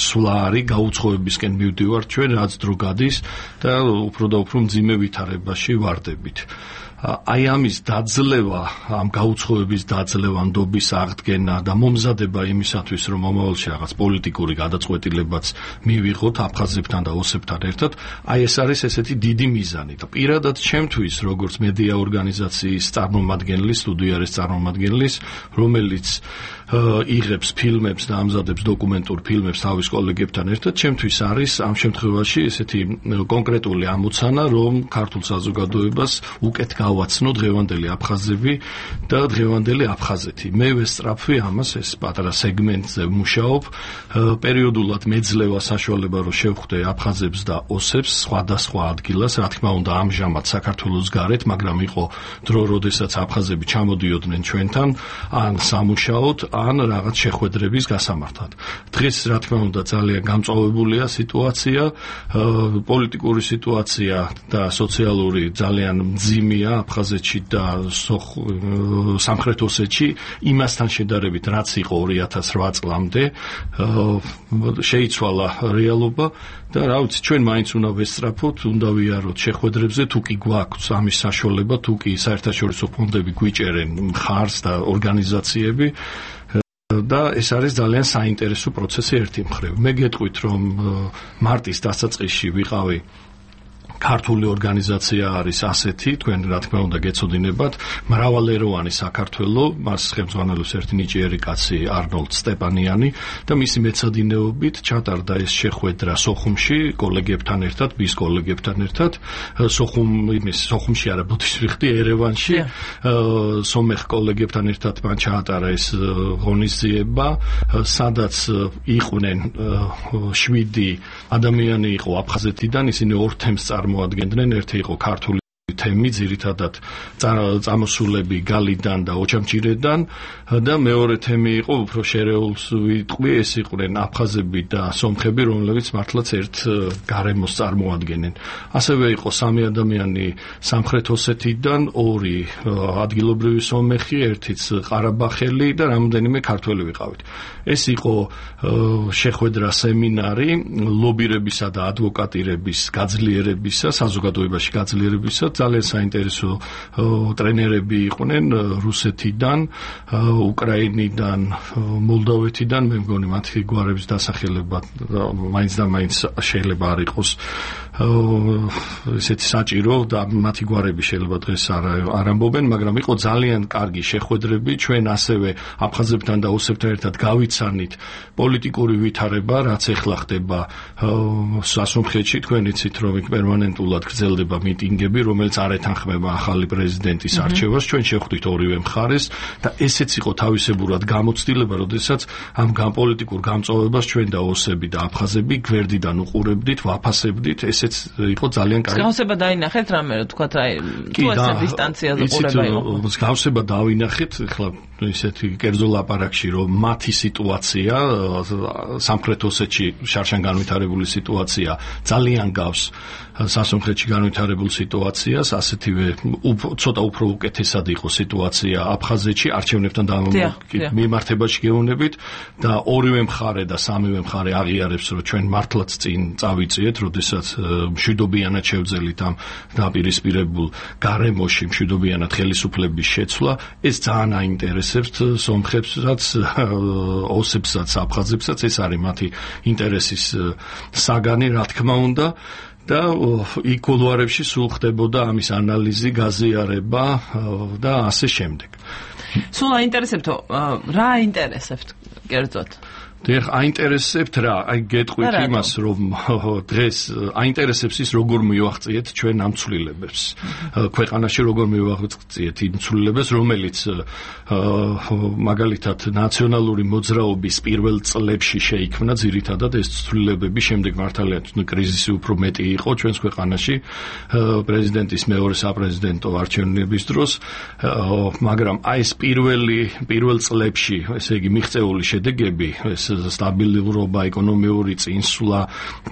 სვლა არის, გაუცხოებისკენ მივდივართ ჩვენ, რაც დრო გადის და უფრო და უფრო მძიმე ვითარებაში ვარდებით. აი ამის დაძლევა, ამ გაუცხოების დაძლევა, ნდობის აღდგენა და მომზადება იმისათვის, რომ მომავალში რაღაც პოლიტიკური გადაწყვეტილებაც მივიღოთ აფხაზებთან და ოსებთან ერთად, აი ეს არის ესეთი დიდი მიზანი და პირადად ჩემთვის, როგორც მედია ორგანიზაციის წარმომადგენლის, სტუდიაში წარმომადგენლის, რომელიც იღებს ფილმებს და ამზადებს დოკუმენტურ ფილმებს თავის კოლეგებთან ერთად, ჩემთვის არის ამ შემთხვევაში ესეთი კონკრეტული ამოცანა, რომ ქართულ საზოგადოებას უკეთ გავაცნო დღევანდელი აფხაზები და დღევანდელი აფხაზეთი. მე ვესწრაფვი ამას, ეს პატარა სეგმენტზე ვმუშაობ, პერიოდულად მეძლევა საშუალება, რომ შევხვდე აფხაზებს და ოსებს სხვადასხვა ადგილას, რა თქმა უნდა, ამჟამად საქართველოს გარეთ, მაგრამ იყო დრო, როდესაც აფხაზები ჩამოდიოდნენ ჩვენთან, ან სამუშაოდ, ან რაღაც შეხვედრების გასამართად. დღეს, რა თქმა უნდა, ძალიან გამწვავებულია სიტუაცია, პოლიტიკური სიტუაცია და სოციალური ძალიან მძიმეა აფხაზეთში და სამხრეთ ოსეთში, იმასთან შედარებით, რაც იყო 2008 წლამდე, შეიცვალა რეალობა და რა ვიცი, ჩვენ მაინც უნდა ვესწრაფოთ, უნდა ვიაროთ შეხვედრებზე, თუ კი გვაქვს ამის საშუალება, თუ კი საერთაშორისო ფონდები გვიჭერენ მხარს და ორგანიზაციები და ეს არის ძალიან საინტერესო პროცესი ერთი მხრივ. მე გეტყვით, რომ მარტის დასაწყისში ვიყავი ქართული ორგანიზაცია არის ასეთი, თქვენ რა თქმა უნდა გეცოდინებათ, მრავალეროვანი საქართველო, მას ხელმძღვანელობს ერთი ნიჭიერი კაცი არნოლდ სტეპანიანი და მისი მეცადინეობით ჩატარდა ეს შეხვედრა სოხუმში კოლეგებთან ერთად, ბის კოლეგებთან ერთად, სოხუმში არა, ბოდიშრიხტი, ერევანში, სომეხ კოლეგებთან ერთად მან ჩაატარა ეს ღონისძიება, სადაც იყვნენ 7 ადამიანი იყო აფხაზეთიდან, ისინი ორ თემს წარმოადგენდნენ, ერთი იყო ქართული თემი, ძირითადად წამოსულები გალიდან და ოჩამჭირედან და მეორე თემი იყო უფრო შერეულს ვიტყვი, ეს იყვნენ აფხაზები და სომხები, რომლებიც მართლაც ერთ გარემოს წარმოადგენენ. ასევე იყო 3 ადამიანი სამხრეთ ოსეთიდან, 2 ადგილობრივი სომეხი, ერთიც ყარაბახელი და რამდენიმე ქართველი ვიყავით. ეს იყო შეხვედრა სემინარი ლობირებისა და ადვოკატირების გაძლიერებისა, საზოგადოებაში გაძლიერებისა, ძალიან საინტერესო ტრენერები იყვნენ რუსეთიდან, უკრაინიდან, მოლდოვეთიდან, მე მგონი მათი გვარების დასახელება მაინც და მაინც შეიძლება არ იყოს ესეთი საჭირო და მათი გვარები შეიძლება დღეს არ ამბობენ, მაგრამ იყო ძალიან კარგი შეხვედრები. ჩვენ ასევე აფხაზებთან და ოსებთან ერთად გავიცანით პოლიტიკური ვითარება, რაც ეხლა ხდება სასუნხეთში. თქვენ იცით, რომ პერმანენტულად გრძელდება მიტინგები, რომელიც არ ეთანხმება ახალი პრეზიდენტის არჩევას. ჩვენ შევხვდით ორივე მხარეს და ესეც იყო თავისებურად გამოცდილება, როდესაც ამ პოლიტიკურ გამწვავებას ჩვენ და ოსები და აფხაზები გვერდიდან უყურებდით, ვაფასებდით. ესეც იყო ძალიან კარგი. მსგავსება დაინახეთ რამე რა თქვა რა თუ ესე დისტანციაზე ყურება იყო. მსგავსება დავინახეთ, ახლა ისეთი კერძო ლაპარაკში, რომ მათი სიტუაცია სამხრეთ ოსეთში შარშან განვითარებული სიტუაცია ძალიან გავს სასუნხეთში განვითარებულ სიტუაციას, ასეთივე ცოტა უფრო უკეთესად იყო სიტუაცია აფხაზეთში არჩევნებთან მიმართებაში გეუბნებით და ორივე მხარე და სამივე მხარე აღიარებს, რომ ჩვენ მართლაც წინ წავიწიეთ, როდესაც მშვიდობიანად შევძელით ამ დაპირისპირებულ გარემოში მშვიდობიანად ხელისუფლების შეცვლა. ეს ძალიან აინტერესებთ სომხებსაც, ოსებსაც, აფხაზებსაც, ეს არის მათი ინტერესის საგანი, რა თქმა უნდა. და იქ კულუარებში სულ ხდებოდა ამის ანალიზი, გაზიარება და ასე შემდეგ. სულ აინტერესებთო, რა აინტერესებთ კერძოდ? დიახ, აინტერესებთ რა, აი გეტყვით იმას, რომ დღეს აინტერესებს ის როგორ მივაღწიეთ ჩვენ ამ ცვლილებებს. ქვეყანაში როგორ მივაღწიეთ იმ ცვლილებებს, რომელიც მაგალითად ნაციონალური მოძრაობის პირველ წლებში შეიქმნა ძირითადად ეს ცვლილებები, შემდეგ მართალია კრიზისი უფრო მეტი იყო ჩვენს ქვეყანაში პრეზიდენტის მეორე საპრეზიდენტო არჩევნების დროს, მაგრამ აი ეს პირველ წლებში, ესე იგი მიღწეული შედეგები, ეს სტაბილურობა, ეკონომიური წინსვლა,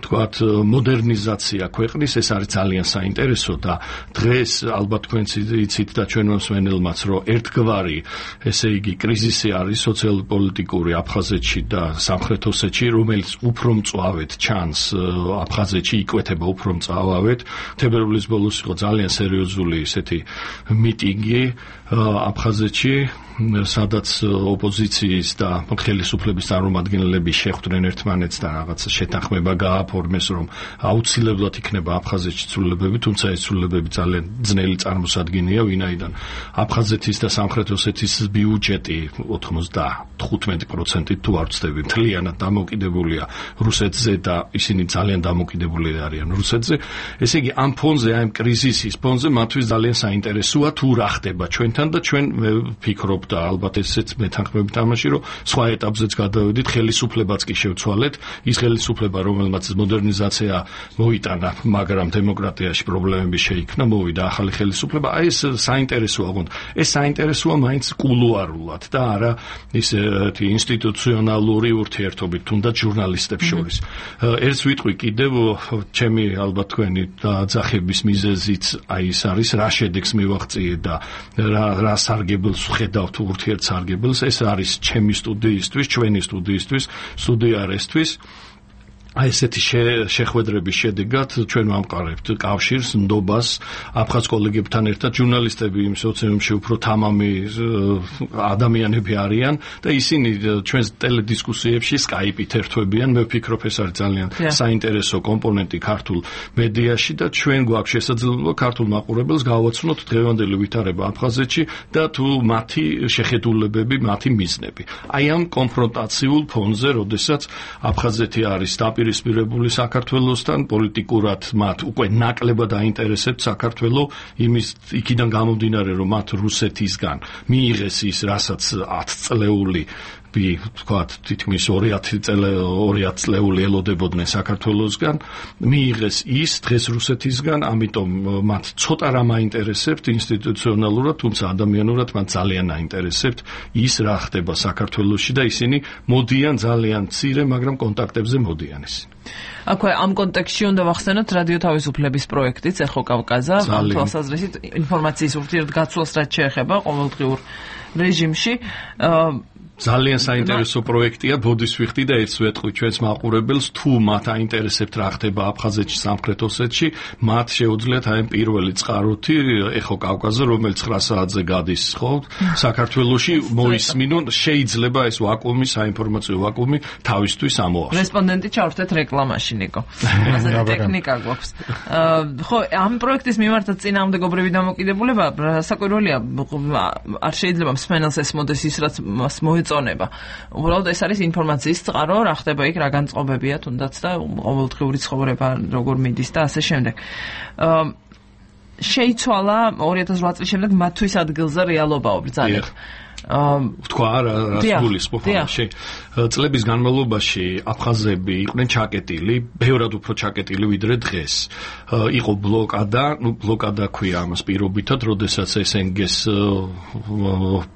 თქვათ, მოდერნიზაცია ქვეყნის, ეს არის ძალიან საინტერესო და დღეს ალბათ თქვენც იცით და ჩვენ მსმენელმაც, რომ ერთგვარი, ესე იგი, კრიზისი არის სოციალურ-პოლიტიკური აფხაზეთში და სამხრეთ ოსეთში, რომელიც უფრო მწვავედ ჩანს აფხაზეთში, იკვეთება უფრო მწვავედ. თებერვლის ბოლოს იყო ძალიან სერიოზული ესეთი მიტინგი აფხაზეთში, სადაც ოპოზიციის და ხელისუფლების წარმომადგენლები შეხვდნენ ერთმანეთს და რაღაც შეთანხმება გააფორმეს, რომ აუცილებლად იქნება აფხაზეთში ცვლილებები, თუმცა ეს ცვლილებები ძალიან ძნელი წარმოსადგენია, ვინაიდან აფხაზეთის და სამხრეთ ოსეთის ბიუჯეტი 95% თუ არ ვცდები, მთლიანად დამოკიდებულია რუსეთზე და ისინი ძალიან დამოკიდებული არიან რუსეთზე. ესე იგი, ამ ფონზე, ამ კრიზისის ფონზე მათთვის ძალიან საინტერესოა თუ რა ხდება ჩვენთან და ჩვენ ვფიქრობ და ალბათ ესეც მეთანხმებით ამაში, რომ სხვა ეტაპზეც გადავედით, ხელისუფლებაც კი შევცვალეთ, ის ხელისუფლება, რომელმაც მოდერნიზაცია მოიტანა, მაგრამ დემოკრატიაში პრობლემები შეიქმნა, მოვიდა ახალი ხელისუფლება. აი ეს საინტერესოა, ეს საინტერესოა მაინც კულუარულად და არა ისეთი ინსტიტუციონალური ურთიერთობით, თუნდაც ჟურნალისტებს შორის. ერთს ვიტყვი კიდევ, ჩემი ალბათ თქვენი დაძახების მიზეზიც აი ეს არის, რა შედეგს მივაღწიე და რა სარგებელს ვხედავთ ურთიერთსარგებელს, ეს არის ჩემი სტუდიისთვის, ჩვენი სტუდიისთვის, სტუდიარესთვის. აი ესეთი შეხვედრების შედეგად ჩვენ ვამყარებთ კავშირს, ნდობას აფხაზ კოლეგებთან ერთად. ჟურნალისტები იმ სოციუმში უფრო თამამი ადამიანები არიან და ისინი ჩვენს ტელედისკუსიებში სკაიპით ერთვებიან. მე ვფიქრობ, ეს არის ძალიან საინტერესო კომპონენტი ქართულ მედიაში და ჩვენ გვაქვს შესაძლებლობა ქართულ მაყურებელს გავაცნოთ დღევანდელი ვითარება აფხაზეთში და თუ მათი შეხედულებები, მათი მიზნები. აი ამ კონფრონტაციულ ფონზე, როდესაც აფხაზეთი არის პირისპირებული საქართველოსთან, პოლიტიკურად მათ უკვე ნაკლებად აინტერესებს საქართველო, იმის იქიდან გამომდინარე, რომ მათ რუსეთისგან მიიღეს ის, რასაც 10 წლეული თქვათ, თითქმის 200 წლეული ელოდებოდნენ საქართველოსგან, მიიღეს ის დღეს რუსეთისგან, ამიტომ მათ ცოტა რამ აინტერესებთ ინსტიტუციონალურად, თუმცა ადამიანურად მათ ძალიან აინტერესებთ ის, რა ხდება საქართველოში და ისინი მოდიან ძალიან მცირე, მაგრამ კონტაქტებზე მოდიან ისინი. აქვე ამ კონტექსტში უნდა ვახსენოთ რადიო თავისუფლების პროექტიც ეხო კავკაზა, ამ თვალსაზრისით ინფორმაციის ურთიერთგაცვლას რაც შეეხება ყოველდღიურ რეჟიმში. ძალიან საინტერესო პროექტია, ბოდის ვიხდი და ერთს ვეტყვი ჩვენს მაყურებელს, თუ მათ აინტერესებთ რა ხდება აფხაზეთში, სამხრეთ ოსეთში, მათ შეუძლიათ აი პირველი წყაროთი ეხო კავკასზე, რომელიც 9 საათზე გადის, ხო? საქართველოში მოისმინონ, შეიძლება ეს ვაკუუმი, საინფორმაციო ვაკუუმი თავისთვის ამოახსნას. რესპონდენტი ჩავრთეთ რეკლამაში, ნიკო. ასეთი ტექნიკა გვაქვს. ხო, ამ პროექტის მიმართაც წინააღმდეგობრივი დამოკიდებულება საკვირველია, არ შეიძლება მსმენელს ესმოდეს ის, რაც მას მოეწონება. უბრალოდ ეს არის ინფორმაციის წყარო, რა ხდება იქ, რა განწყობებია თუნდაც და ყოველდღიური ცხოვრება როგორ მიდის და ასე შემდეგ. შეიცვალა 2008 წლის შემდეგ მათთვის ადგილზე რეალობაო ბრძანებით. თქვა რა გულისხმობ ამაში. წლების განმავლობაში აფხაზები იყვნენ ჩაკეტილი, ბევრად უფრო ჩაკეტილი ვიდრე დღეს. იყო ბლოკადა, ბლოკადა ქვია ამას პირობითად, როდესაც SNG-ს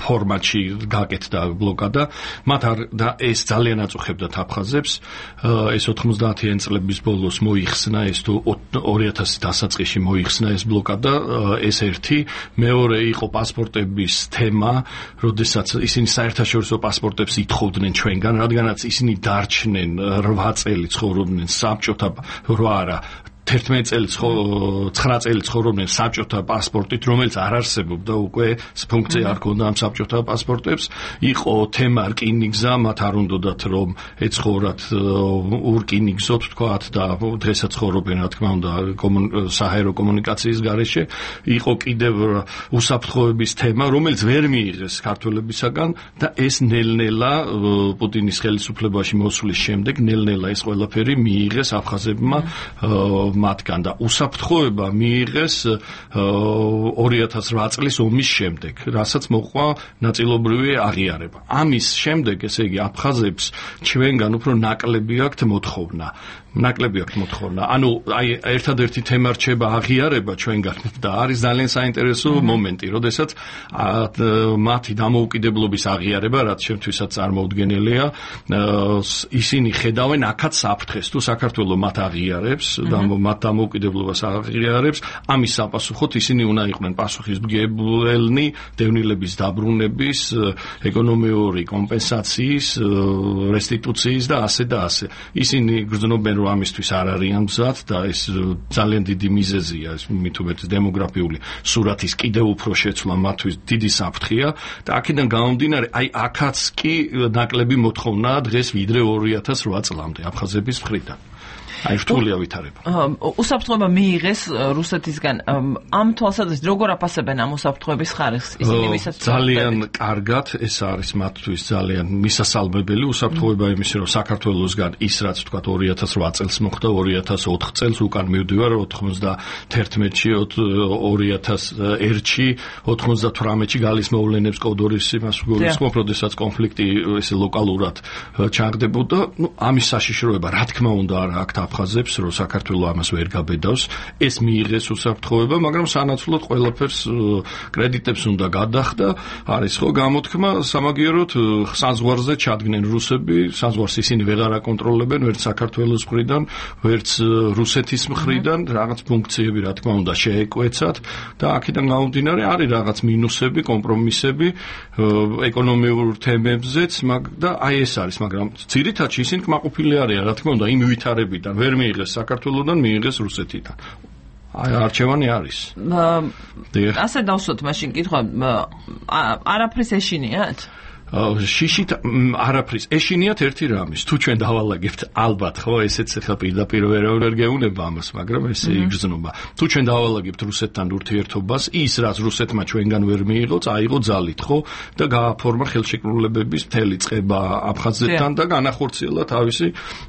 ფორმატში გაკეთდა ბლოკადა, მათ და ეს ძალიან აწუხებდათ აფხაზებს. ეს 90-იან წლების ბოლოს მოიხსნა, ეს თუ 2000 დასაწყისში მოიხსნა ეს ბლოკადა, ეს ერთი, მეორე იყო პასპორტების თემა, როდესაც ისინი საერთაშორისო პასპორტებს ითხოვდნენ ჩვენგან, რადგანაც ისინი დარჩნენ 8 წელი ცხოვრობდნენ საბჭოთა 11 წელი 9 წელი ცხოვრობდნენ საბჭოთა პასპორტით, რომელიც არ არსებობდა უკვე, ფუნქცია არ ჰქონდა ამ საბჭოთა პასპორტებს. იყო თემა რკინიგზა, მათ არ უნდათ რომ ეცხოვრათ ურკინიგზოთ თქვათ და დღესაც ცხოვრობენ რა თქმა უნდა საჰაერო კომუნიკაციის გარეშე. იყო კიდევ უსაფრთხოების თემა, რომელიც ვერ მიიღეს ქართველებისაგან და ეს ნელ-ნელა პუტინის ხელისუფლებაში მოსვლის შემდეგ ნელ-ნელა ეს ყველაფერი მიიღეს აფხაზებმა მათგან და უსაფრთხოება მიიღეს 2008 წლის ომის შემდეგ, რასაც მოყვა ნაწილობრივი აღიარება. ამის შემდეგ, ესე იგი, აფხაზებს ჩვენგან უფრო ნაკლები აქვთ მოთხოვნა. ანუ აი ერთადერთი თემა რჩება აღიარება ჩვენგან და არის ძალიან საინტერესო მომენტი, როდესაც მათი დამოუკიდებლობის აღიარება, რაც შემთხვევით წარმოუდგენელია, ისინი ხედავენ აქაც საფრთხეს, თუ საქართველოს მათ აღიარებს და მათ დამოუკიდებლობას აღიარებს, ამის საპასუხოდ ისინი უნდა იყვნენ პასუხისმგებლნი დევნილების დაბრუნების, ეკონომიური კომპენსაციის, რესტიტუციის და ასე და ასე. ისინი გრძნობენ ამისთვის არ არიან მზად და ეს ძალიან დიდი მიზეზია, ეს მით უმეტეს დემოგრაფიული სურათის კიდევ უფრო შეცვლა მათთვის დიდი საფრთხეა და აქედან გამომდინარე, აი აქაც კი ნაკლები მოთხოვნაა დღეს ვიდრე 2008 წლამდე აფხაზების მხრიდან. აი რთულია ვითარება. უსაფრთხოება მიიღეს რუსეთისგან. ამ თვალსაზრისით როგორ აფასებენ ამ უსაფრთხოების ხარისხს? ისინი ვისაც ძალიან კარგად, ეს არის მათთვის ძალიან მისასალმებელი უსაფრთხოება იმისი, რომ საქართველოსგან ის რაც თქვა 2008 წელს მოხდა, 2004 წელს უკან მივდივარ 91-ში, 2001-ში, 98-ში გალის მოვლენებს კოდორის იმას გულისხმობ, როდესაც კონფლიქტი ესე ლოკალურად ჩაღდებოდა, ამის საშიშროება რა თქმა უნდა არ აქვს აფხაზებს, რომ საქართველოს ამას ვერ გაბედავს, ეს მიიღეს უსაფრთხოება, მაგრამ სანაცვლოდ ყველაფერს კრედიტებს უნდა გადახდა, არის ხო გამოთქმა, სამაგიეროდ საზღვარზე ჩადგნენ რუსები, საზღვარს ისინი ვეღარ აკონტროლებენ, ვერც საქართველოს მხრიდან, ვერც რუსეთის მხრიდან, რაღაც ფუნქციები რა თქმა უნდა შეეკვეცათ და აქედან გამომდინარე არის რაღაც მინუსები, კომპრომისები ეკონომიურ თემებზეც და აი ეს არის, მაგრამ ძირითადში ისინი კმაყოფილი არიან, რა თქმა უნდა, იმ ვითარებიდან ვერ მიიღეს საქართველოსდან, მიიღეს რუსეთიდან. აი არჩევანი არის. ასე დავსვათ მაშინ კითხვა, არაფრის ეშინიათ? შიშით არაფრის ეშინიათ ერთი რამის, თუ ჩვენ დავალაგებთ ალბათ, ხო, ესეც ახლა პირდაპირ ვერ გეუნება ამას, მაგრამ ესე იგრძნობა. თუ ჩვენ დავალაგებთ რუსეთთან ურთიერთობას, ის რაც რუსეთმა ჩვენგან ვერ მიიღო, წაიღო ძალით, ხო, და გააფორმა ხელშეკრულებების მთელი წყება აფხაზეთთან და განახორციელა თავისი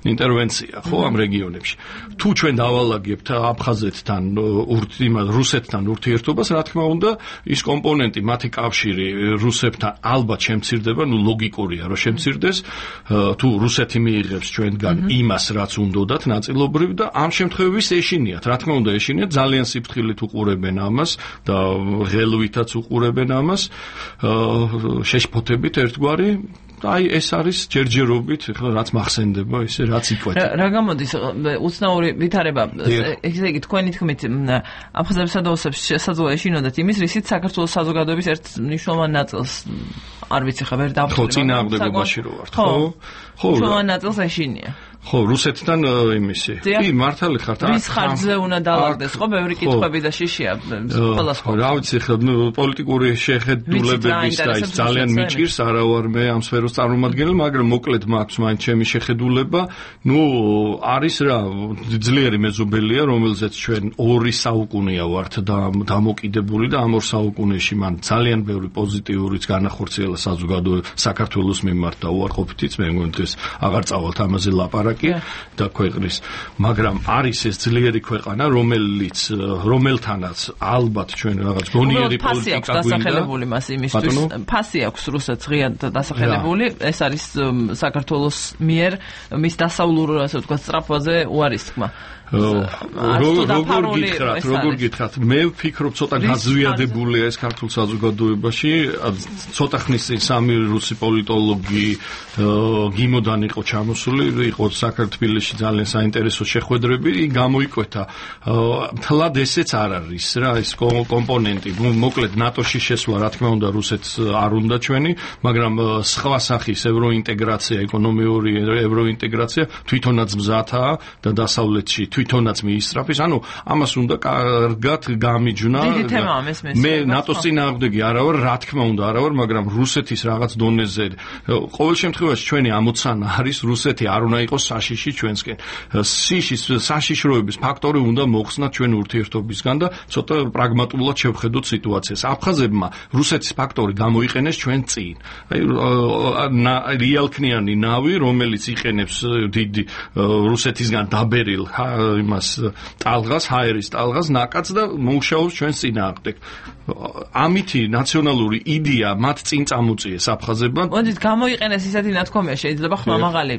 ინტერვენცია, ხო, ამ რეგიონებში. თუ ჩვენ დავალაგებთ აფხაზეთთან რუსეთთან ურთიერთობას, რა თქმა უნდა, ის კომპონენტი, მათი კავშირი რუსებთან ალბათ შემცირდება, ნუ ლოგიკურია, რომ შემცირდეს, თუ რუსეთი მიიღებს ჩვენგან იმას, რაც უნდათ ნაწილობრივ და ამ შემთხვევაში ეშინიათ. რა თქმა უნდა, ეშინიათ, ძალიან სიფრთხილით უყურებენ ამას და ღელვითაც უყურებენ ამას, შეშფოთებით ერთგვარი აი ეს არის ჯერჯერობით, ხო, რაც მახსენდება, ისე რაც იკვეთა. რა გამოდის უცნაური ვითარება, ესე იგი თქვენი თქმით, აფხაზებსა და ოსებს შესაძლოა ეშინოდათ იმის, რისით საქართველოს საზოგადოების ერთ მნიშვნელოვან ნაწილს არ ვიცი ხა ვერ დავხვდი. ხო, წინააღმდეგობაში რო ვართ, ხო? ხო, მნიშვნელოვან ნაწილს ეშინია. ხო, რუსეთთან იმისი. კი, მართალი ხართ. ვის ხარჯზე უნდა დავაგდეს, ხო, ბევრი კითხვები და შიშია ყველას ხო. რა ვიცი, ხო, პოლიტიკური შეხედულებების და ის ძალიან მიჭირს, არა ვარ მე ამ სფეროს წარმომადგენელი, მაგრამ მოკლედ მაქვს მაინც ჩემი შეხედულება. ნუ არის რა, ძლიერი მეზობელია, რომელზეც ჩვენ 2 საუკუნეა ვართ დამოკიდებული და ამ 2 საუკუნეში მან ძალიან ბევრი პოზიტიურიც განახორციელა საზოგადოება საქართველოს მიმართ და უარყოფითიც მე მგონი ეს აღარ წავალთ ამაზე ლაპარაკი. და ქვეყნის, მაგრამ არის ეს ძლიერი ქვეყანა, რომელთანაც ალბათ ჩვენ რაღაც გონიერი პოლიტიკა დასახელებული მას იმისთვის. ფასი აქვს რუსეთს ღიად დასახელებული, ეს არის საქართველოს მიერ მის დასავლურ, ასე ვთქვათ, სწრაფვაზე უარის თქმა. როგორ გითხრათ, მე ვფიქრობ ცოტა გაზვიადებულია ეს ქართულ საზოგადოებაში, ცოტა ხნის წინ 3 რუსი პოლიტოლოგი გიმოდან იყო ჩამოსული, იყო საქართველოში ძალიან საინტერესო შეხვედრები, გამოიკვეთა თლად ესეც არ არის რა ეს კომპონენტი, მოკლედ ნატოში შესვლა რა თქმა უნდა რუსეთს არ უნდა ჩვენი, მაგრამ სხვა სახის ევროინტეგრაცია, ეკონომიური ევროინტეგრაცია თვითონაც მზათაა და დასავლეთში თვითონაც მიისწრაფის, ანუ ამას უნდა კარგად გამიჯვნა. მე ნატოს წინააღმდეგი არა ვარ, რა თქმა უნდა არა ვარ, მაგრამ რუსეთის რაღაც დონეზე ყოველ შემთხვევაში ჩვენი ამოცანა არის რუსეთი არ უნდა იყოს საშიში ჩვენსკენ. საშიშროების ფაქტორი უნდა მოხსნათ ჩვენ ურთიერთობისგან და ცოტა პრაგმატულად შევხედოთ სიტუაციას. აფხაზებმა რუსეთის ფაქტორი გამოიყენეს ჩვენ წინ. აი რეალქნიანი ნავი, რომელიც იყენებს დიდი რუსეთისგან დაბერილ იმას ტალღას, ჰაერის ტალღას ნაკადს და მოუშავებს ჩვენს წინააღმდეგ. ამითი ნაციონალური იდეა მათ წინ წამოწიეს აფხაზებმა. მოდით გამოიყენეს ისეთი ნათქვამია, შეიძლება ხმამაღალი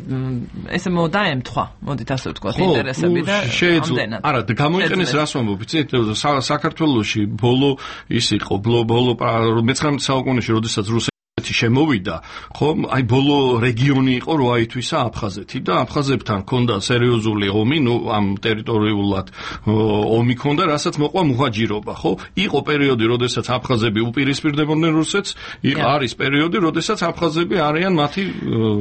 ესე დაემთხვა, მოდით ასე ვთქვათ, ინტერესები და ამდენად. არა, გამოიყენეს რას ვამბობ, იცით, საქართველოში ბოლო ის იყო, ბოლო 19 საუკუნეში, როდესაც შემოვიდა, ხო, აი ბოლო რეგიონი იყო რო აითვისა აფხაზეთი და აფხაზებთან ჰქონდა სერიოზული ომი, ნუ ამ ტერიტორიულად ომი ჰქონდა, რასაც მოყვა მუჰაჯირობა, ხო? იყო პერიოდი, როდესაც აფხაზები უპირისპირდებოდნენ რუსეთს, არის პერიოდი, როდესაც აფხაზები არიან მათი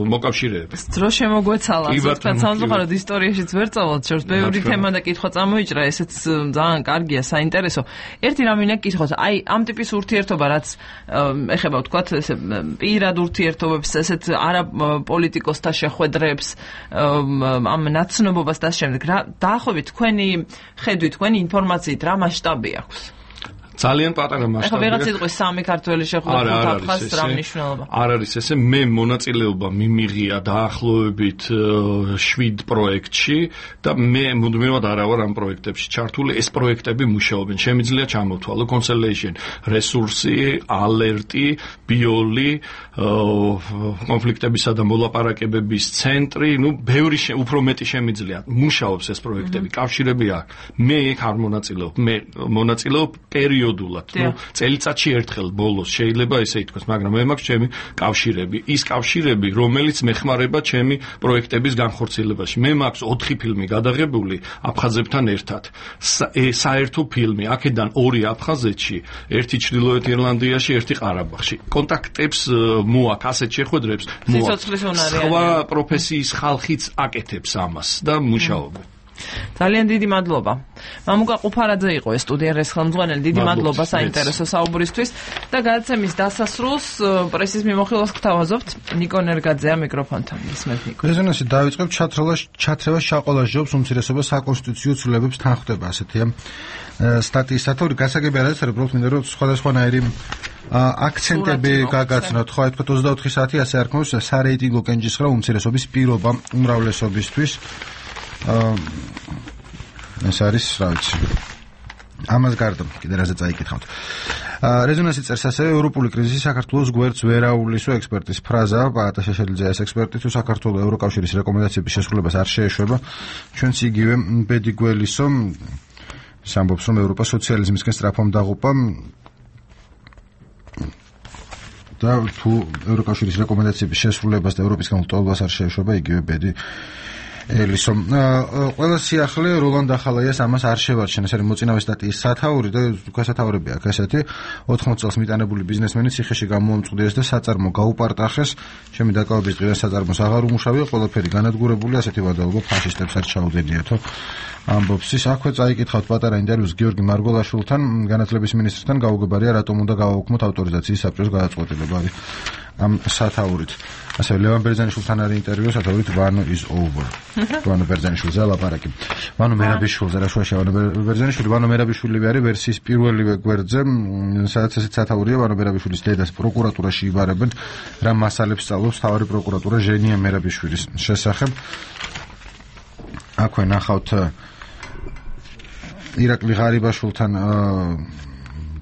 მოკავშირეები. დრო შემოგვეცალა, ზოგადად სამწუხაროდ ისტორიაშიც ვერ წავალთ შორს, ბევრი თემა და კითხვა წამოიჭრა, ესეც ძალიან კარგია, საინტერესო. ერთი რამ მინდა გკითხოთ, აი ამ ტიპის ურთიერთობა, რაც ეხება ვთქვათ, ესე პირად ურთიერთობებს, ესეთ არა პოლიტიკოსთა შეხვედრებს, ამ ნაცნობობას და შემდეგ. დაახლოებით თქვენი ხედვით, თქვენი ინფორმაციით რა მასშტაბი აქვს? ძალიან პატარა მასშტაბია. ახლა ვიღაც იტყვის 3 ქართველი შეხვედრა აფხაზს რა მნიშვნელობა? არ არის ესე, მე მონაწილეობა მიმიღია დაახლოებით 7 პროექტში და მე მუდმივად არა ვარ ამ პროექტებში ჩართული. ეს პროექტები მუშაობენ. შემიძლია ჩამოვთვალო კონსელეიშენ, რესურსი, ალერტი, ბიოლი, კონფლიქტებისა და მოლაპარაკებების ცენტრი, ნუ ბევრი უფრო მეტი შემიძლია. მუშაობს ეს პროექტები, კავშირები აქვს. მე ეგ არ მონაწილეობ. მე მონაწილეობ პერიოდულად, ნუ წელიწადში ერთხელ ბოლოს შეიძლება ესე ითქვას, მაგრამ მე მაქვს ჩემი კავშირები, ის კავშირები, რომელიც მეხმარება ჩემი პროექტების განხორციელებაში. მე მაქვს 4 ფილმი გადაღებული აფხაზებთან ერთად. საერთო ფილმი, აქედან 2 აფხაზეთში, 1 ჩრდილოეთ ირლანდიაში, 1 ყარაბაღში. კონტაქტებს მოაქვს, ასეთ შეხვედრებს მოაქვს. სხვა პროფესიის ხალხიც აკეთებს ამას და მუშაობენ. ძალიან დიდი მადლობა. მამუკა ყუფარაძე იყო ეს სტუდიის ხელმძღვანელი. დიდი მადლობა საინტერესო საუბრისთვის და გადაცემის დასასრულს პრესის მიმოხილვას გთავაზობთ. ნიკო ნერგაძეა მიკროფონთან. ისმენთ ნიკო. რეზონანსი დავიწყებ ჩათრევა შაყოლაშობს უმცირესობა საკონსტიტუციო ცვლილებებს თან ხდება ასეთია სტატიის სათაური გასაგები არის უბრალოდ მინდა რომ სხვადასხვანაირი აქცენტები გაგაცნოთ. ხო, თქვა 24 საათი ასე არქმევს სარეიტინგო კენჭისხრა უმცირესობის პირობა უმრავლესობისთვის. ეს არის, რა ვიცი. ამას გარდა კიდე რაზე წაიკითხავთ. რეზონანსი წერს ასევე ევროპული კრიზისი საქართველოს გვერდს ვერ აუვლისო ექსპერტის ფრაზა, პაატა შეშელიძე ეს ექსპერტი თუ საქართველოს ევროკავშირის რეკომენდაციების შესრულებას არ შეეშვება, ჩვენც იგივე ბედი გველისო ამბობს რომ ევროპა სოციალიზმისკენ სწრაფამ დაღუპა. და თუ ევროკავშირის რეკომენდაციების შესრულებას და ევროპის გამოცდილებას არ შეეშვება იგივე ბედი ელისო. ყველა სიახლე როლანდ ახალაიას ამას არ შევარჩენ. ეს არის მოწინავე სტატიის სათაური და გასათაურები აქვს ესეთი 80 წელს მიტანებული ბიზნესმენი ციხეში გამოამწყვდიეს და საწარმო გაუპარტახეს. ჩემი დაკავების დღიდან საწარმოს აღარ უმუშავია, ყველაფერი განადგურებული, ასეთი ვადაობა ფაშისტებს არ ჩაუდენიათო. ამბობს ის. აქვე წაიკითხავთ პატარა ინტერვიუს გიორგი მარგველაშვილთან, განათლების მინისტრთან, გაუგებარია რატომ უნდა გავაუქმოთ ავტორიზაციის საბჭოს გადაწყვეტილება ამ სათაურით. ასევე ლევან ბერძენიშვილთან არის ინტერვიუ სათაურით Vano is over. Vano ბერძენიშვილზე ლაპარაკი. Vano მერაბიშვილზე რა შუაში Vano ბერძენიშვილი, Vano მერაბიშვილი არის ვერსიის პირველივე გვერდზე, სადაც ესეც სათაურია Vano მერაბიშვილის დედას პროკურატურაში იბარებენ, რა მასალებს სწავლობს თავარი პროკურატურა ჟენია მერაბიშვილის შესახებ. აქვე ნახავთ ირაკლი ღარიბაშვილთან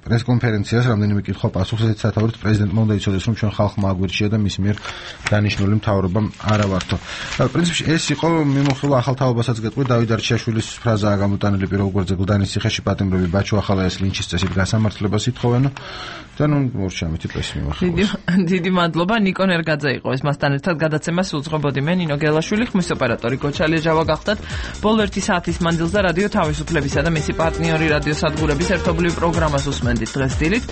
პრესკონფერენციას რამდენიმე კითხვა პასუხს ესეც სათაურით პრეზიდენტმა უნდა იცოდეს რომ ჩვენ ხალხმა აგვირჩია და მის მიერ დანიშნული მთავრობა არა ვართო. პრინციპში ეს იყო მიმოხილვა ახალ თაობასაც გეტყვი დავით არჩიაშვილის ფრაზაა გამოტანილი პირველ გვერდზე გლდანის ციხეში პატიმრები ბაჩო ახალაიას ლინჩის წესით გასამართლებას ითხოვენ და ნუ მორჩამითი პრესი მიმოხილვა. დიდი მადლობა ნიკო ნერგაძე იყო ეს მასთან ერთად გადაცემას უძღვებოდი მე ნინო გელაშვილი ხმის ოპერატორი გოჩალია ჯავა გახდათ ბოლო 1 საათის მანძილზე რადიო თავისუფლებისა და მისი პარტნიორი რადიო სადგურების ერთობლივ პროგრამას უსმენდით დღეს დილით.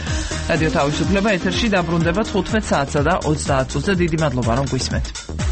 რადიო თავისუფლება ეთერში დაბრუნდება 15 საათსა და 30 წუთზე. დიდი მადლობა რომ გვისმენთ.